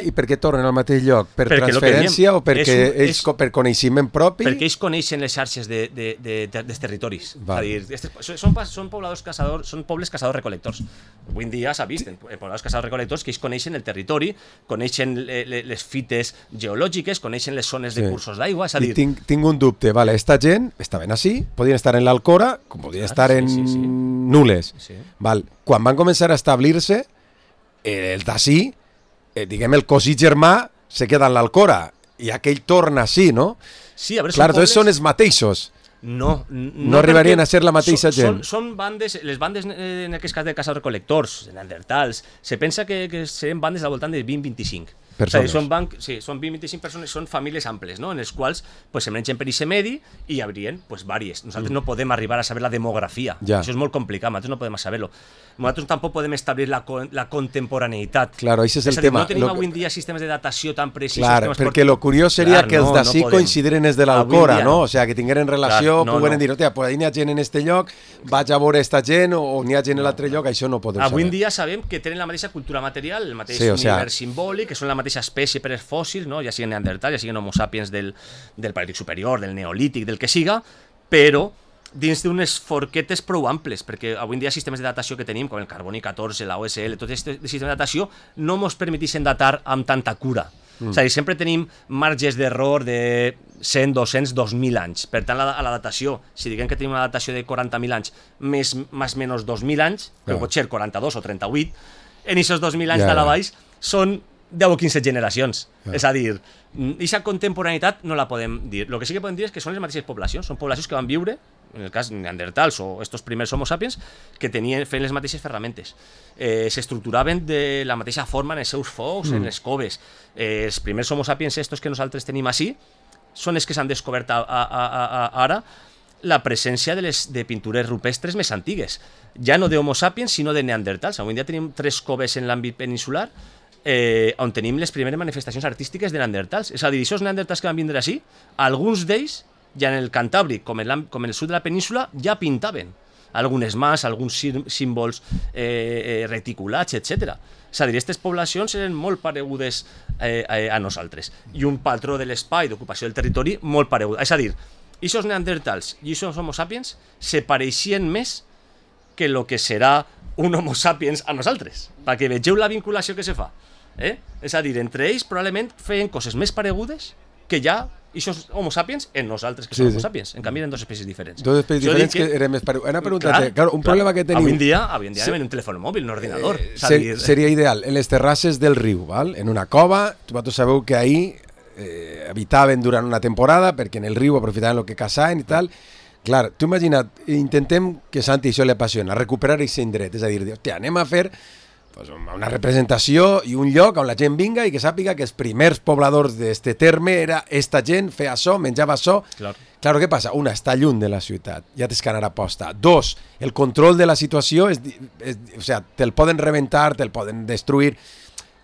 i per què tornen al mateix lloc? Per perquè transferència o perquè un, ells, és, per coneixement propi? Perquè ells coneixen les xarxes de, de, de, de, dels territoris. Va. És a dir, estes, són, són pobladors caçadors, són pobles caçadors-recolectors. Avui en dia s'ha vist, en pobladors caçadors-recolectors, que ells coneixen el territori, coneixen le, le, les fites geològiques, coneixen les zones sí. de cursos d'aigua, és a dir... I tinc, tinc un dubte, vale, esta gent estaven així, podien estar en l'Alcora, com podien estar en sí, sí, sí. nules. Sí. Val. Quan van començar a establir-se, el d'ací, eh, diguem, el cosí germà se queda en l'Alcora i aquell torna així, no? Sí, a veure, clar, són pobles... són els mateixos. no, no, no arribarien a ser la mateixa són, gent. Són, són bandes, les bandes eh, en aquest cas de caçadors-recol·lectors, neandertals, se pensa que, que serien bandes al voltant de vint a vint-i-cinc. Persones. O sigui, són, banc, sí, són vint a vint-i-cinc persones, són famílies amples, no? En les quals pues, se mengen per aquest medi i hi haurien pues, vàries. Nosaltres mm. no podem arribar a saber la demografia. Ja. Això és molt complicat, nosaltres no podem saber-lo. Nosaltres tampoc podem establir la, la contemporaneïtat. Claro, això és el és dir, tema. No tenim lo... avui en dia sistemes de datació tan precisos. Claro, perquè el curiós seria clar, que els d'ací no coincidiren els de l'Alcora, no? no? O sigui, que tingueren relació, clar, no, pogueren no. dir, hòstia, pues ahí n'hi ha gent en este lloc, vaig a veure esta gent, o n'hi ha gent en l'altre lloc, això no podem avui saber. Avui en dia sabem que tenen la mateixa cultura material, el mateix sí, o sea, univers simbòlic, que són la mateixa espècie per els fòssils, no? Ja siguin neandertals, ja siguin homo sapiens del, del paleolític superior, del neolític, del que siga, però dins d'unes forquetes prou amples, perquè avui en dia sistemes de datació que tenim, com el carboni catorze, la O S L, tots aquests sistemes de datació no ens permeteixen datar amb tanta cura. Mm. És a dir, sempre tenim marges d'error de cent, dos-cents, dos mil anys. Per tant, a la, a la datació, si diguem que tenim una datació de quaranta mil anys, més més o menys dos mil anys, yeah. però pot ser quaranta-dos o trenta-vuit, en aquests dos mil anys yeah. de la baix són deu o quinze generacions. Yeah. És a dir, aquesta contemporaneïtat no la podem dir. El que sí que podem dir és que són les mateixes poblacions, són poblacions que van viure, en el cas neandertals o estos primers homo sapiens, que tenien, feien les mateixes ferramentes. Eh, S'estructuraven de la mateixa forma en els seus focs, mm. en les coves. Eh, els primers homo sapiens estos que nosaltres tenim així són els que s'han descobert a, a, a, a, ara la presència de les de pintures rupestres més antigues. Ja no de homo sapiens, sinó de neandertals. Avui en dia tenim tres coves en l'àmbit peninsular eh, on tenim les primeres manifestacions artístiques de neandertals. És a dir, aquests neandertals que van vindre així, alguns d'ells ja en el Cantàbric, com en, com en el sud de la península, ja pintaven algunes mans, alguns símbols eh, eh, reticulats, etcètera. És a dir, aquestes poblacions eren molt paregudes eh, a nosaltres. I un patró de l'espai, d'ocupació del territori, molt paregut. És a dir, aquests neandertals i aquests homo sapiens se pareixien més que el que serà un homo sapiens a nosaltres, perquè vegeu la vinculació que se fa. Eh? És a dir, entre ells probablement feien coses més paregudes que ja aquests homo sapiens en nosaltres que sí, som homo sí. sapiens. En canvi eren dues espècies diferents. Dues espècies jo diferents que, que eren més paregudes. Una pregunta, clar, claro, un clar, problema que tenim... Avui en dia, avui en dia sí. anem en un telèfon mòbil, un ordinador. Eh, ser, dir... Seria ideal, en les terrasses del riu, val? En una cova, vosaltres sabeu que ahí eh, habitaven durant una temporada perquè en el riu aprofitaven el que caçaven i tal. Clar, tu imagina't, intentem que Santi això li apassiona, recuperar aquest indret, és a dir, hòstia, anem a fer pues, una representació i un lloc on la gent vinga i que sàpiga que els primers pobladors d'este terme era esta gent, feia això, menjava això. Clar. Claro, què passa? Una, està lluny de la ciutat, ja tens que anar a posta. Dos, el control de la situació, és, és, o sea, te'l poden rebentar, te'l poden destruir.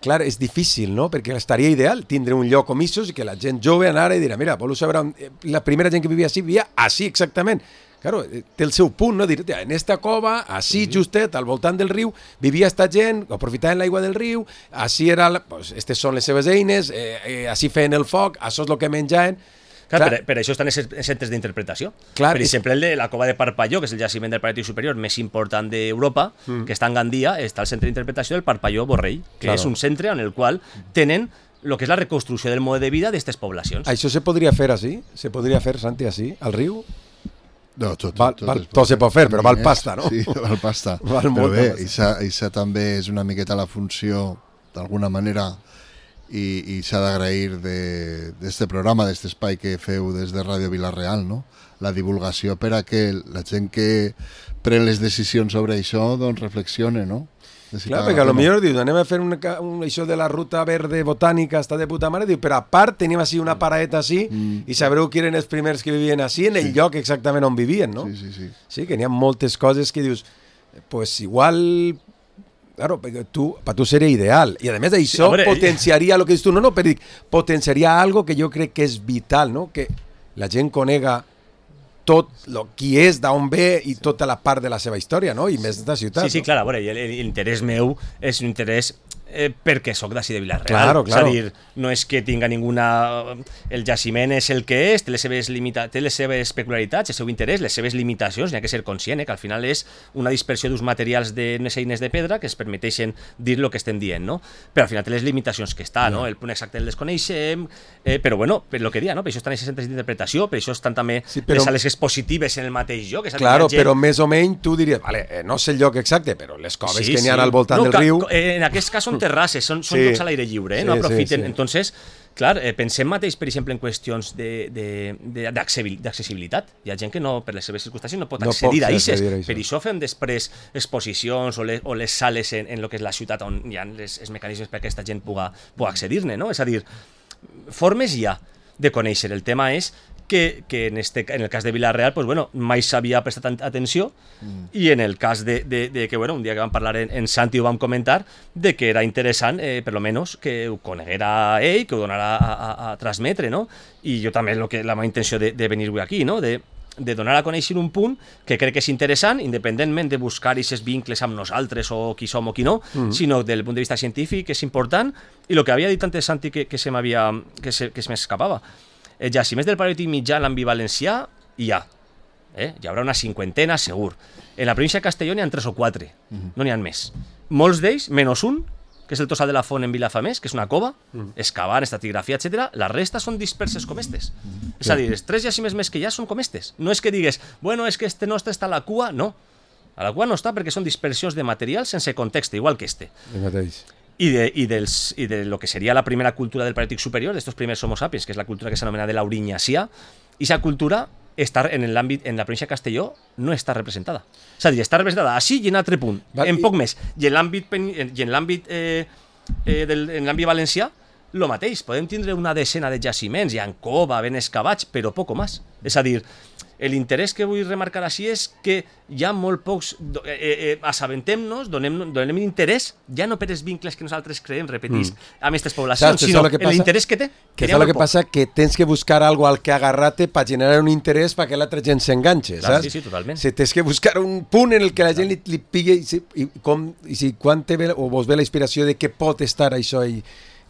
Clar, és difícil, no? Perquè estaria ideal tindre un lloc com issos i que la gent jove anara i dirà, mira, voleu saber, la primera gent que vivia així vivia així exactament. Claro, té el seu punt, no? Dir, en esta cova, així sí. justet, al voltant del riu, vivia esta gent, aprofitaven l'aigua del riu, així era, pues, estes són les seves eines, eh, eh, així feien el foc, això és el que menjaven. Clar, clar. Per, per això estan els centres d'interpretació. Per exemple, el de la cova de Parpalló, que és el jaciment del Paleolític superior més important d'Europa, mm. que està en Gandia, està el centre d'interpretació del Parpalló Borrell, que claro. és un centre en el qual tenen el que és la reconstrucció del mode de vida d'aquestes poblacions. Això se podria fer així? Se podria fer, Santi, així, al riu? No, tot, val, tot, val, tot, tot se pot fer, però val pasta, no? Sí, val pasta. Val però bé, això també és una miqueta la funció, d'alguna manera, i, i s'ha d'agrair d'aquest programa, d'aquest espai que feu des de Ràdio Vila-real, no? La divulgació per a que la gent que pren les decisions sobre això doncs reflexione, no? Clar, perquè a lo millor dius, anem a fer un, un, això de la ruta verde botànica, està de puta mare, diu, però a part tenim així una paradeta així mm. i sabreu qui eren els primers que vivien així en el sí. lloc exactament on vivien, no? Sí, sí, sí. Sí, que n'hi ha moltes coses que dius, pues igual... Claro, perquè tu, per tu seria ideal. I a més això sí, potenciaria el que dius tu, no, no, però dic, potenciaria algo que jo crec que és vital, no? Que la gent conega tot lo, qui és, d'on ve i tota la part de la seva història, no? I més de ciutat. Sí, sí, no? Clar, a veure, l'interès meu és un interès eh, perquè sóc d'ací de Vila-real. Claro, claro. És a dir, no és que tinga ninguna... El jaciment és el que és, té les seves, limita... té les seves peculiaritats, el seu interès, les seves limitacions, n'hi ha que ser conscient, eh, que al final és una dispersió d'uns materials d'unes eines de pedra que es permeteixen dir el que estem dient, no? Però al final té les limitacions que està, no? no? El punt exacte el desconeixem, eh, però bueno, per lo que dia, no? Per això estan aquests centres d'interpretació, per això estan també sí, però... les sales expositives en el mateix lloc. És claro, gent... però més o menys tu diries, vale, eh, no sé el lloc exacte, però les coves sí, que n'hi ha sí. al voltant no, del riu... En aquest cas són terrasses, són, són sí. llocs a l'aire lliure, eh? Sí, no aprofiten. Sí, sí. Entonces, Clar, eh, pensem mateix, per exemple, en qüestions d'accessibilitat. Hi ha gent que no, per les seves circumstàncies no pot No accedir pot a eixes. accedir a això. Per això fem després exposicions o les, o les sales en, en lo que és la ciutat on hi ha les, els mecanismes perquè aquesta gent puga, puga accedir-ne, no? És a dir, formes hi ha de conèixer. El tema és que, que en, este, en el cas de Vila-real pues, bueno, mai s'havia prestat atenció mm. i en el cas de, de, de que bueno, un dia que vam parlar en, en Santi ho vam comentar de que era interessant, eh, per lo menos que ho coneguera ell, que ho donara a, a, a transmetre, no? I jo també lo que, la meva intenció de, de venir avui aquí, no? de, de donar a conèixer un punt que crec que és interessant, independentment de buscar aquests vincles amb nosaltres o qui som o qui no, mm. sinó del punt de vista científic, que és important, i el que havia dit antes Santi que, que se m'havia que se, que se m'escapava. Eh, jaciments del Paleolític mitjà en l'àmbit valencià hi ha. Eh? Hi haurà una cinquantena, segur. En la província de Castelló n'hi ha tres o quatre, uh-huh. no n'hi ha més. Molts d'ells, menys un, que és el Tossal de la Font en Vilafamés, que és una cova, uh-huh. excavant, estratigrafia, etcètera. La resta són disperses com estes. Uh-huh. És a dir, els tres jaciments més que hi ha són com estes. No és que digues, bueno, és que este nostre està a la cua, no. A la cua no està perquè són dispersions de material sense context, igual que este. El mateix. I de, i, dels, i de lo que seria la primera cultura del Paleolític superior, d'estos primers Homo sapiens, que és la cultura que s'anomena de l'Aurinyàcia, i aquesta cultura està en l'àmbit, en la província de Castelló, no està representada. És a dir, està representada així i en altre punt, Va, en i... poc més. I en l'àmbit i en l'àmbit eh, eh, del, en l'àmbit valencià, lo mateix. Podem tindre una decena de jaciments, hi ha cova, ben excavats, però poc més. És a dir, l'interès que vull remarcar així és que hi ha molt pocs... Eh, eh, assabentem-nos, donem, donem interès, ja no per els vincles que nosaltres creem, repetís, mm. amb aquestes poblacions, Saps, sinó que l'interès que té. Que és el que passa, que tens que buscar algo al que agarrar-te per generar un interès perquè l'altra gent s'enganxe, saps? Sí, sí, totalment. Si tens que buscar un punt en el que la gent li, li pigui i, si, i, com, i si quan te ve, o vos ve la inspiració de què pot estar això i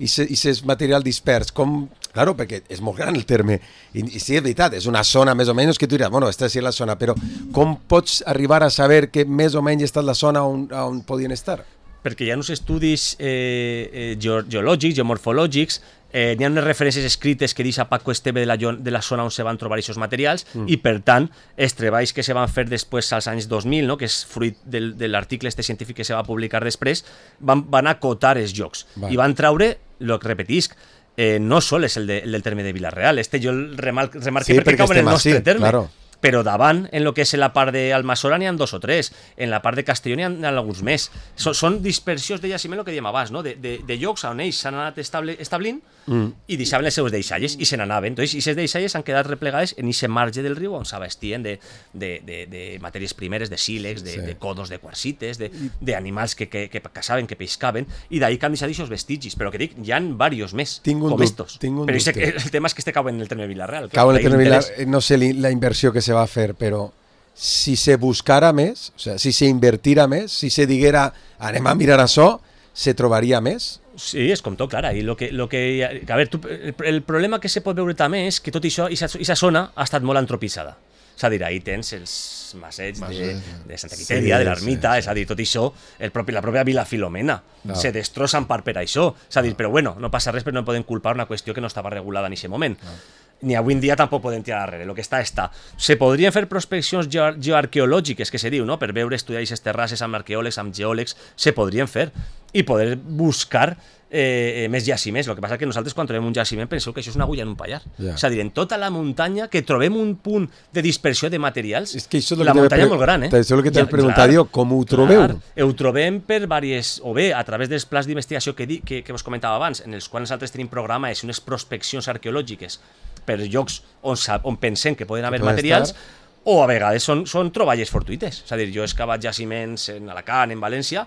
i aquest material dispers, com... Claro, perquè és molt gran el terme, i, i sí, és veritat, és una zona més o menys que tu diràs, bueno, esta sí és la zona, però com pots arribar a saber que més o menys està la zona on, on podien estar? Perquè hi ha uns estudis eh, eh, geològics, geomorfològics, eh, hi ha unes referències escrites que deixa Paco Esteve de la, de la zona on se van trobar aquests materials mm. i, per tant, els treballs que se van fer després als anys dos mil, no? que és fruit del, de l'article este científic que se va publicar després, van, van acotar els llocs vale. I van traure, el que repetisc, eh, no sol és el, de, el del terme de Vila-real, este jo el remarque sí, perquè, perquè cau en el nostre així, terme. Claro. Però davant, en lo que és en la part d'Almassora n'hi ha dos o tres, en la part de Castelló n'hi ha, ha alguns més. So, són dispersions de jaciment, el que dèiem abans, no? de, de, de llocs on ells s'han anat estable, establint mm. i deixaven les seus deixalles i se n'anaven. Entonces, aquestes deixalles han quedat replegades en aquest marge del riu on s'abastien de, de, de, de matèries primeres, de sílex, de, sí. de codos, de quarsites, d'animals que, que, que caçaven, que pescaven, i d'ahir que han deixat aquests vestigis. Però que dic, hi ha diversos més, com dut, estos. Però dubte. El tema és que este cau en el terme de Vila-real. Cau en el terme de Vila-real, no sé la inversió que se va a fer, però si se buscara més, o sea, si se invertira més, si se diguera anem a mirar això, se trobaria més? Sí, és com tot, clar. I lo que, lo que, a veure, tu, el, el problema que se pot veure també és que tot això, aquesta zona ha estat molt antropitzada. És a dir, ahí tens els masets de, de Santa Quitèria, sí, de l'Ermita, sí, sí. És a dir, tot això, el propi, la pròpia Vila Filomena, no. se destrossen part per això. És a dir, no. però bueno, no passa res, però no podem culpar una qüestió que no estava regulada en aquest moment. No. Ni avui en dia tampoc podem tirar darrere, el que està, està. Se podrien fer prospeccions geo geoarqueològiques, que se diu, no? Per veure, estudiar aquestes terrasses amb arqueòlegs, amb geòlegs, se podrien fer, i poder buscar eh, més jaciments. El que passa és que nosaltres quan trobem un jaciment penseu que això és una agulla en un pallar. Yeah. És a dir, en tota la muntanya que trobem un punt de dispersió de materials, és que la muntanya és molt gran, eh? Això és el que t'he preguntat jo, com ho trobeu? Clar, ho trobem per diverses, o bé a través dels plans d'investigació que, que, que vos comentava abans, en els quals nosaltres tenim programes, unes prospeccions arqueològiques per llocs on, on pensem que poden haver que materials, estar... o a vegades són, són troballes fortuïtes. És a dir, jo he excavat jaciments en Alacant, en València,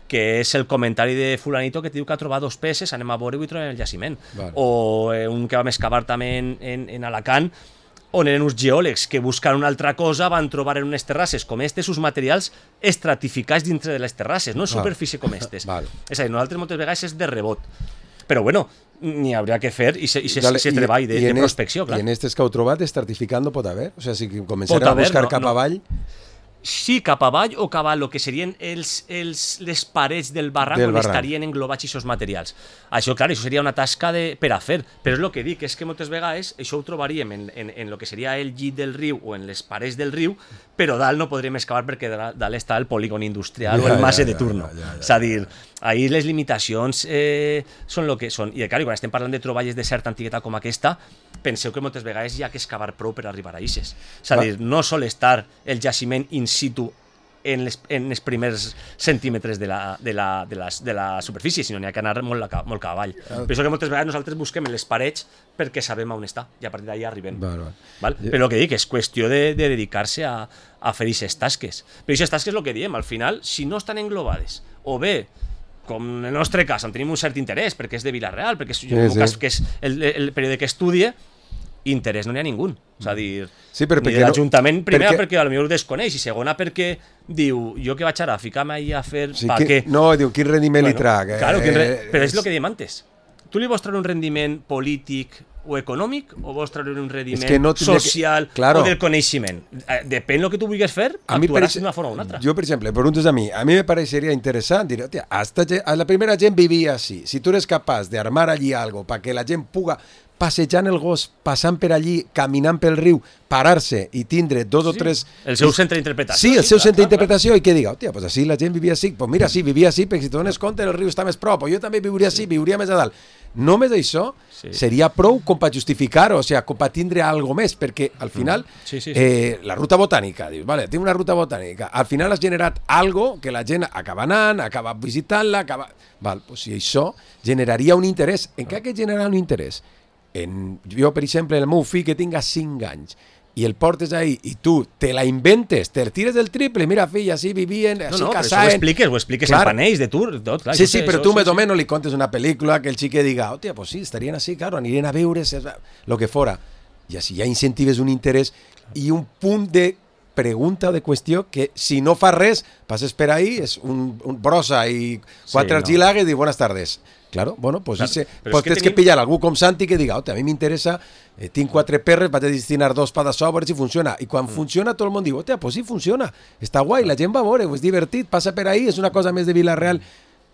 que és el comentari de fulanito que diu que ha trobat dos peces, anem a veure-ho i trobem el jaciment. Vale. O eh, un que vam excavar també en, en, en Alacant, on eren uns geòlegs que buscant una altra cosa van trobar en unes terrasses com estes uns materials estratificats dintre de les terrasses, no en superfície com estes. Vale. És a dir, nosaltres moltes vegades és de rebot. Però bueno, n'hi hauria que fer i se, i se, Dale, se treball de, de prospecció, clar. I en aquestes que heu trobat, estratificant no pot haver? O sigui, si començarem a buscar no, cap no. avall... sí cap avall o cap a el que serien els, els, les parets del barranc Del on barranc. estarien englobats aquests materials. Això, clar, això seria una tasca de, per a fer, però és el que dic, és que moltes vegades això ho trobaríem en, en, en el que seria el llit del riu o en les parets del riu, però dalt no podríem excavar perquè dalt, dalt està el polígon industrial Ja, o el masse ja, de ja, turno. ja, ja, ja. És a dir, ahir les limitacions eh, són el que són. I, clar, quan estem parlant de troballes de certa antiguitat com aquesta, penseu que moltes vegades hi ha que excavar prou per arribar a eixes. És a dir, no sol estar el jaciment in situ en les, en els primers centímetres de la, de la, de la, de la superfície, sinó n'hi ha que anar molt, la, molt cap avall. Ah. Per això que moltes vegades nosaltres busquem en les parets perquè sabem on està, i a partir d'allà arribem. Val, val. Val? Però el que dic és qüestió de, de dedicar-se a, a fer aquestes tasques. Però aquestes tasques és el que diem, al final, si no estan englobades, o bé, com en el nostre cas, on tenim un cert interès, perquè és de Vila-real, perquè és, Sí, en el meu sí. cas, que és el, el període que estudie, interès no n'hi ha ningú. És a dir, Sí, però ni perquè de no- l'Ajuntament, primera perquè- perquè, perquè potser ho desconeix, i segona perquè diu, jo que vaig ara a ficar-me ahí a fer... Sí, pa que, què? no, diu, quin rendiment li trac? Claro, quin re... Eh, però és el que diem antes. Tu li vols treure un rendiment polític o econòmic, o vols treure un rendiment que no tindria que- social Claro. o del coneixement? Eh, Depèn del que tu vulguis fer, A mi, per actuaràs ex- d'una forma o una altra. Yo, por ejemplo, preguntas a mí, a mí me parecería interesante, dir, hostia, hasta ge- a la primera gent vivia así. Si tú eres capaz de armar allí algo para que la gent puga passejant el gos, passant per allí, caminant pel riu, parar-se i tindre dos o Sí, tres... el seu centre d'interpretació. Sí, el seu clar, centre clar, d'interpretació i que diga, hòstia, pues així la gent vivia així. Pues mira, sí, vivia així, perquè si te dones compte el riu està més prop, o jo també viuria així, viuria més a dalt. Només això Sí. seria prou com per justificar-ho, o sigui, com per tindre algo més, perquè al final Sí, sí, sí. Eh, la ruta botànica, dius, vale, tinc una ruta botànica, al final has generat algo que la gent acaba anant, acaba visitant-la, acaba... Val, pues si això generaria un interès. En què ha que generar un interès? En, jo, per exemple, el meu fill que tinga cinc anys i el portes ahí i tu te la inventes, te tires del triple, mira fill, així vivien, No, així no, però això ho casaven... expliques, ho expliques Clar. en panells de tour, tot, clar. Sí, això sí, sé, pero això- tú això me sí. o menos le contes una película que el chique diga, hostia, pues sí, estarían así, claro, anirien a veure, lo que fuera. Y así ya incentives un interés y un punt de pregunta o de qüestió que si no fa res, passes per ahí, és un, un brossa i quatre Sí, no. argilagues i buenas tardes. Claro, bueno, pues, Claro, ese, pero pues es que tens que tenim- pillar algú com Santi que diga, hòstia, a mi m'interessa, eh, tinc quatre perres, vaig a destinar dos pa de so, a veure si funciona. I Mm. quan funciona, tot el món diu, hòstia, pues sí funciona, està guai, la gent va a veure, és divertit, passa per ahí, és una cosa més de Vila-real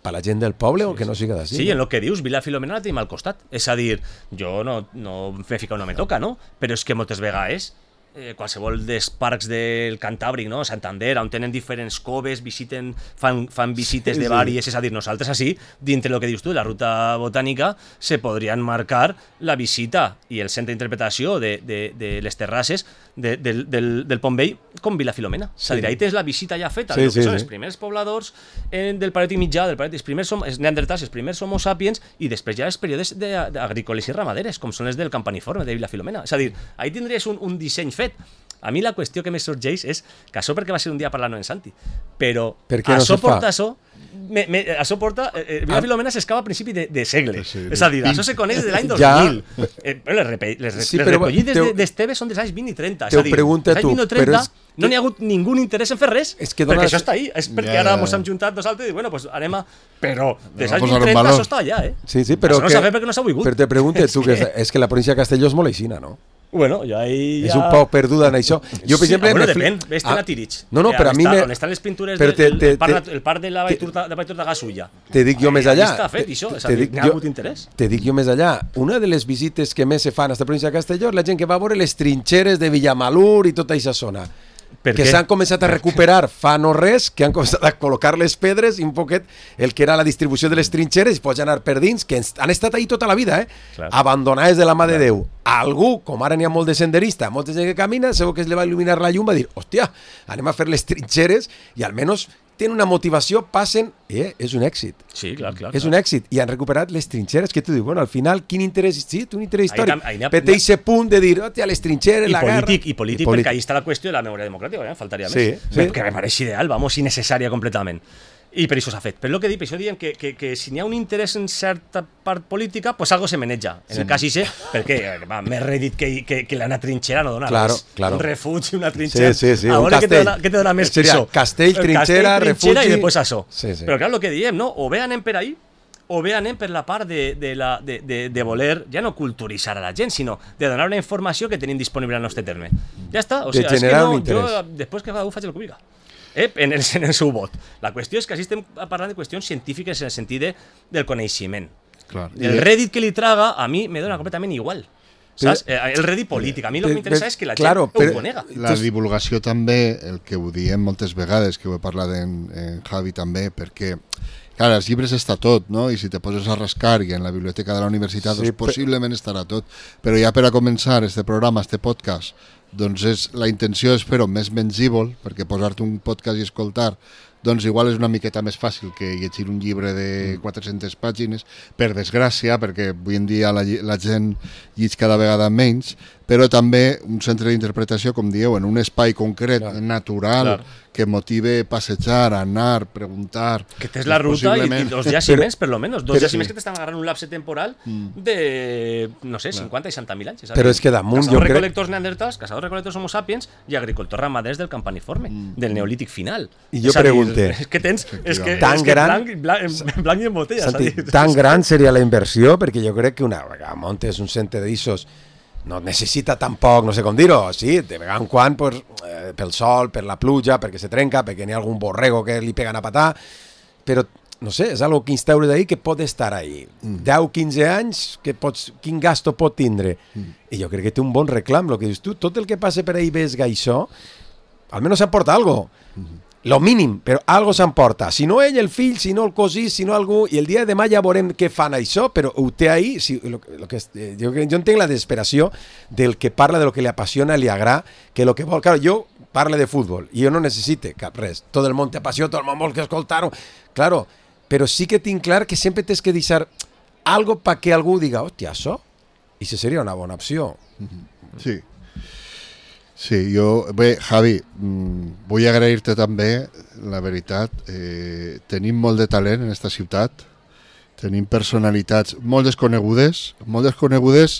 per la gent del poble o que no siga d'ací. Sí, en el que dius, Vila Filomena la tenim al costat. És a dir, jo no, no m'he ficat on no me toca, no? Però és que moltes vegades eh, qualsevol dels parcs del Cantàbric, no? Santander, on tenen diferents coves, visiten, fan, fan visites Sí, de sí. vàries, és a dir, nosaltres així, dintre del que dius tu, la ruta botànica, se podrien marcar la visita i el centre d'interpretació de, de, de les terrasses de, del, del, del Pont Vell com Vila Filomena. És a dir, ahí tens la visita ja feta, Sí, del que sí, són sí. els primers pobladors eh, del Paleolític mitjà, del Paleolític, els primers som, els neandertals, els primers homo sapiens, i després ja els períodes de- d'agrícoles i ramaderes, com són els del Campaniforme, de Vila Filomena. És a dir, ahí tindries un, un disseny fet. A mi la qüestió que me sorgeix és que això perquè va ser un dia parlant en Santi, però Per què no això se fa? porta això, me, me, això porta, eh, eh, Vila Ah. Filomena s'escava a principi de, de segle, Sí, és a dir, això se coneix des de l'any dos Ja. mil. Eh, però les, repe, les, Sí, les però recollides te- de- d'Esteve són dels anys vint i trenta, és te ho a dir, pregunta dels anys tu, vint i però trenta és no n'hi ha hagut ningú interès en fer res, És que perquè dones- això està ahí, és perquè Ja, ara ja, mos ja. hem juntat nosaltres i dic, bueno, pues anem a... Però des Anem a anys posar-ho vint en trenta valor. això està allà, eh? Sí, sí, però Això no que... s'ha fet perquè no s'ha volgut. Però te preguntes tu, que És és, que- és que la província de Castelló és molt aixina, no? Bueno, jo ahí És ja... un poc perduda en això. Jo, per Sí, exemple... ah, bueno, me fli- depèn, vés-te'n Ah, a Tirich. No, no, que però a on mi està- me... On estan les pintures però del te- el, te- el, parc, te- nat- el parc de la Valltur de, de Valltur de Gasulla. Te dic jo més Ahí allà. està fet, Te- això, és a te dir, dic n'hi ha jo- hagut interès. Te dic jo més allà. Una de les visites que més se fan a esta província de Castelló és la gent que va a veure les trinxeres de Villamalur i tota aquesta zona. Per que què? s'han començat a recuperar fa no res, que han començat a col·locar les pedres i un poquet el que era la distribució de les trinxeres i pots anar per dins, que ens- han estat ahí tota la vida, eh? Clar. Abandonades de la mà de Déu. Algú, com ara n'hi ha molt de senderista, molta gent que camina, segur que es li va il·luminar la llum, va dir, hòstia, anem a fer les trinxeres i almenys tenen una motivació, passen, eh, és un èxit. Sí, clar, clar. És un èxit. I han recuperat les trinxeres, que tu dius, bueno, al final, quin interès... Sí, té un interès Ahí històric. tam- ahí n'hi ha- Però té aquest punt de dir, hòstia, les trinxeres, I la guerra... polític, i polític, perquè ahí està la qüestió de la memòria democràtica, ja, faltaria Sí, més. sí. Que me pareix ideal, vamos, innecessària completament. I per això s'ha fet. Però el que dic, per això diem que, que, que si n'hi ha un interès en certa part política, pues algo se maneja. En el cas ixe, perquè eh, va, més rèdit que, que, que una trinxera no dona Claro, res. claro. Un refugi, una trinxera. Sí, sí, sí, A un veure què te castell. dona, què te dona més que Seria això. castell, El trinxera, trinxera refugi. i després això. Sí, sí. Però clar, el que diem, no? O bé anem per ahí, o bé anem per la part de, de, la, de, de, de voler, ja no culturitzar a la gent, sinó de donar una informació que tenim disponible al nostre terme. Ja està, o De sigui, és que generar no, un interès. jo després que cada un faig el que vulgui. eh, en, el, en el seu vot. La qüestió és que així estem parlant de qüestions científiques en el sentit de, del coneixement. Clar. El Reddit que li traga, a mi me dona completament igual. Saps? Però, el Reddit polític. A mi el que m'interessa és que la claro, gent ho però, conega. La divulgació també, el que ho diem moltes vegades, que ho he parlat en, en Javi també, perquè clar, als llibres està tot, no? I si te poses a rascar i en la biblioteca de la universitat, sí, doncs possiblement estarà tot. Però ja per a començar este programa, este podcast, doncs és, la intenció és fer-ho més mengível, perquè posar-te un podcast i escoltar doncs igual és una miqueta més fàcil que llegir un llibre de quatre-centes pàgines, per desgràcia, perquè avui en dia la, la gent llig cada vegada menys, però també un centre d'interpretació, com dieu, en un espai concret, clar, natural, clar, que motive passejar, anar, preguntar... Que tens la ruta possiblement... i, i dos jaciments, per lo menos, dos jaciments que t'estan agarrant un lapse temporal de, no sé, cinquanta i seixanta mil anys. Però és que damunt jo crec... Cazadors-recolectors neandertals, cazadors-recolectors homo sapiens i agricultors ramaders del campaniforme, mm. del neolític final. I jo pregunte... És que tens... És que, tan és que gran, blanc, blanc, blanc i en botella. Santi, tan gran seria la inversió, perquè jo crec que una vegada montes un centre d'issos no necessita tampoc, no sé com dir-ho, sí, de vegada en quan, pues, eh, pel sol, per la pluja, perquè se trenca, perquè n'hi ha algun borrego que li peguen a patar, però, no sé, és algo que instaures d'ahí que pot estar ahí. Mm. deu quinze anys, que pots, quin gasto pot tindre? Mm. I jo crec que té un bon reclam, el que dius tu, tot el que passa per ahí ves gaixó, almenys s'emporta algo. Mm. Lo mínim, però algo s'emporta. Si no ell, el fill, si no el cosí, si no algú... I el dia de demà ja veurem què fan això, però ho té ahí... Si, lo, lo que, eh, jo, jo entenc la desesperació del que parla de lo que li apassiona, li agrada, que lo que vol... Claro, jo parlo de futbol i jo no necessite cap res. Tot el món té passió, tot el món vol que escoltar-ho. Claro, però sí que tinc clar que sempre tens que deixar algo pa que algú diga, hòstia, això? I això seria una bona opció. Sí. Sí, jo... Bé, Javi, mmm, vull agrair-te també, la veritat. Eh, tenim molt de talent en aquesta ciutat, tenim personalitats molt desconegudes, molt desconegudes,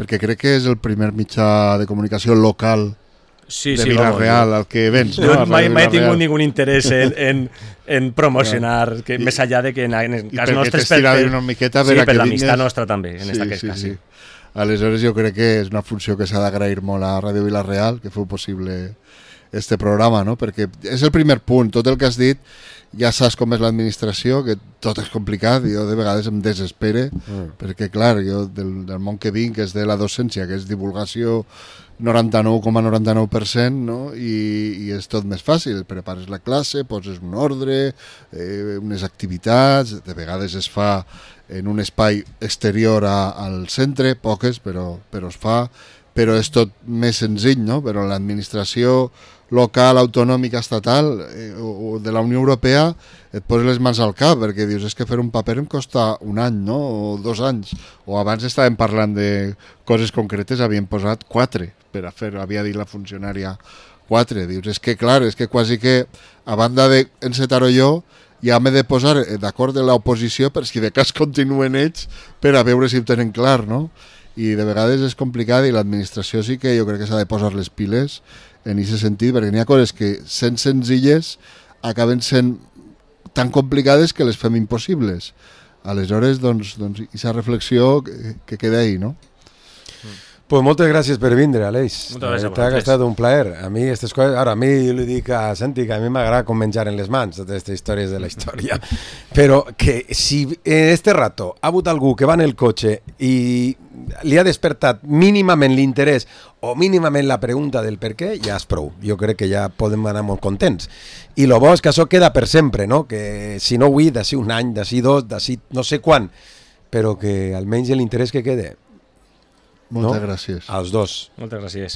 perquè crec que és el primer mitjà de comunicació local sí, de sí, Vila-real al que vens. No, no? mai, mai he tingut ningú interès en, en, en promocionar, que, I, més allà de que en, en cas nostre... I perquè t'estirava una miqueta sí, per per l'amistat nostra també, en sí, aquest sí, cas. Sí. Aleshores jo crec que és una funció que s'ha d'agrair molt a Ràdio Vila-real, que feu possible este programa, no? Perquè és el primer punt, tot el que has dit, ja saps com és l'administració, que tot és complicat, jo de vegades em desespere, mm. perquè clar, jo del, del món que vinc, que és de la docència, que és divulgació noranta-nou coma noranta-nou per cent, no? I, i és tot més fàcil, prepares la classe, poses un ordre, eh, unes activitats, de vegades es fa en un espai exterior a, al centre, poques, però, però es fa, però és tot més senzill, no? Però l'administració local, autonòmica, estatal eh, o, o de la Unió Europea et poses les mans al cap, perquè dius, és que fer un paper em costa un any, no? O dos anys, o abans estàvem parlant de coses concretes, havien posat quatre per a fer, havia dit la funcionària quatre, dius, és que clar, és que quasi que a banda d'encetar-ho jo, ja m'he de posar d'acord de l'oposició per si de cas continuen ells per a veure si ho tenen clar, no? I de vegades és complicat i l'administració sí que jo crec que s'ha de posar les piles en aquest sentit, perquè n'hi ha coses que sent senzilles acaben sent tan complicades que les fem impossibles. Aleshores, doncs, doncs aquesta reflexió que, que queda ahí, no? Pues moltes gràcies per vindre, Aleix. Moltes gràcies a vosaltres. Ha estat un plaer. A mi aquestes coses... Ara, a mi jo li dic a Santi que a mi m'agrada com menjar en les mans totes aquestes històries de la història. Però que si en este rato ha hagut algú que va en el cotxe i li ha despertat mínimament l'interès o mínimament la pregunta del per què, ja és prou. Jo crec que ja podem anar molt contents. I el bo és que això queda per sempre, no? Que si no avui, d'ací un any, d'ací dos, d'ací no sé quan, però que almenys l'interès que quede. Moltes no? gràcies. Als dos. Moltes gràcies.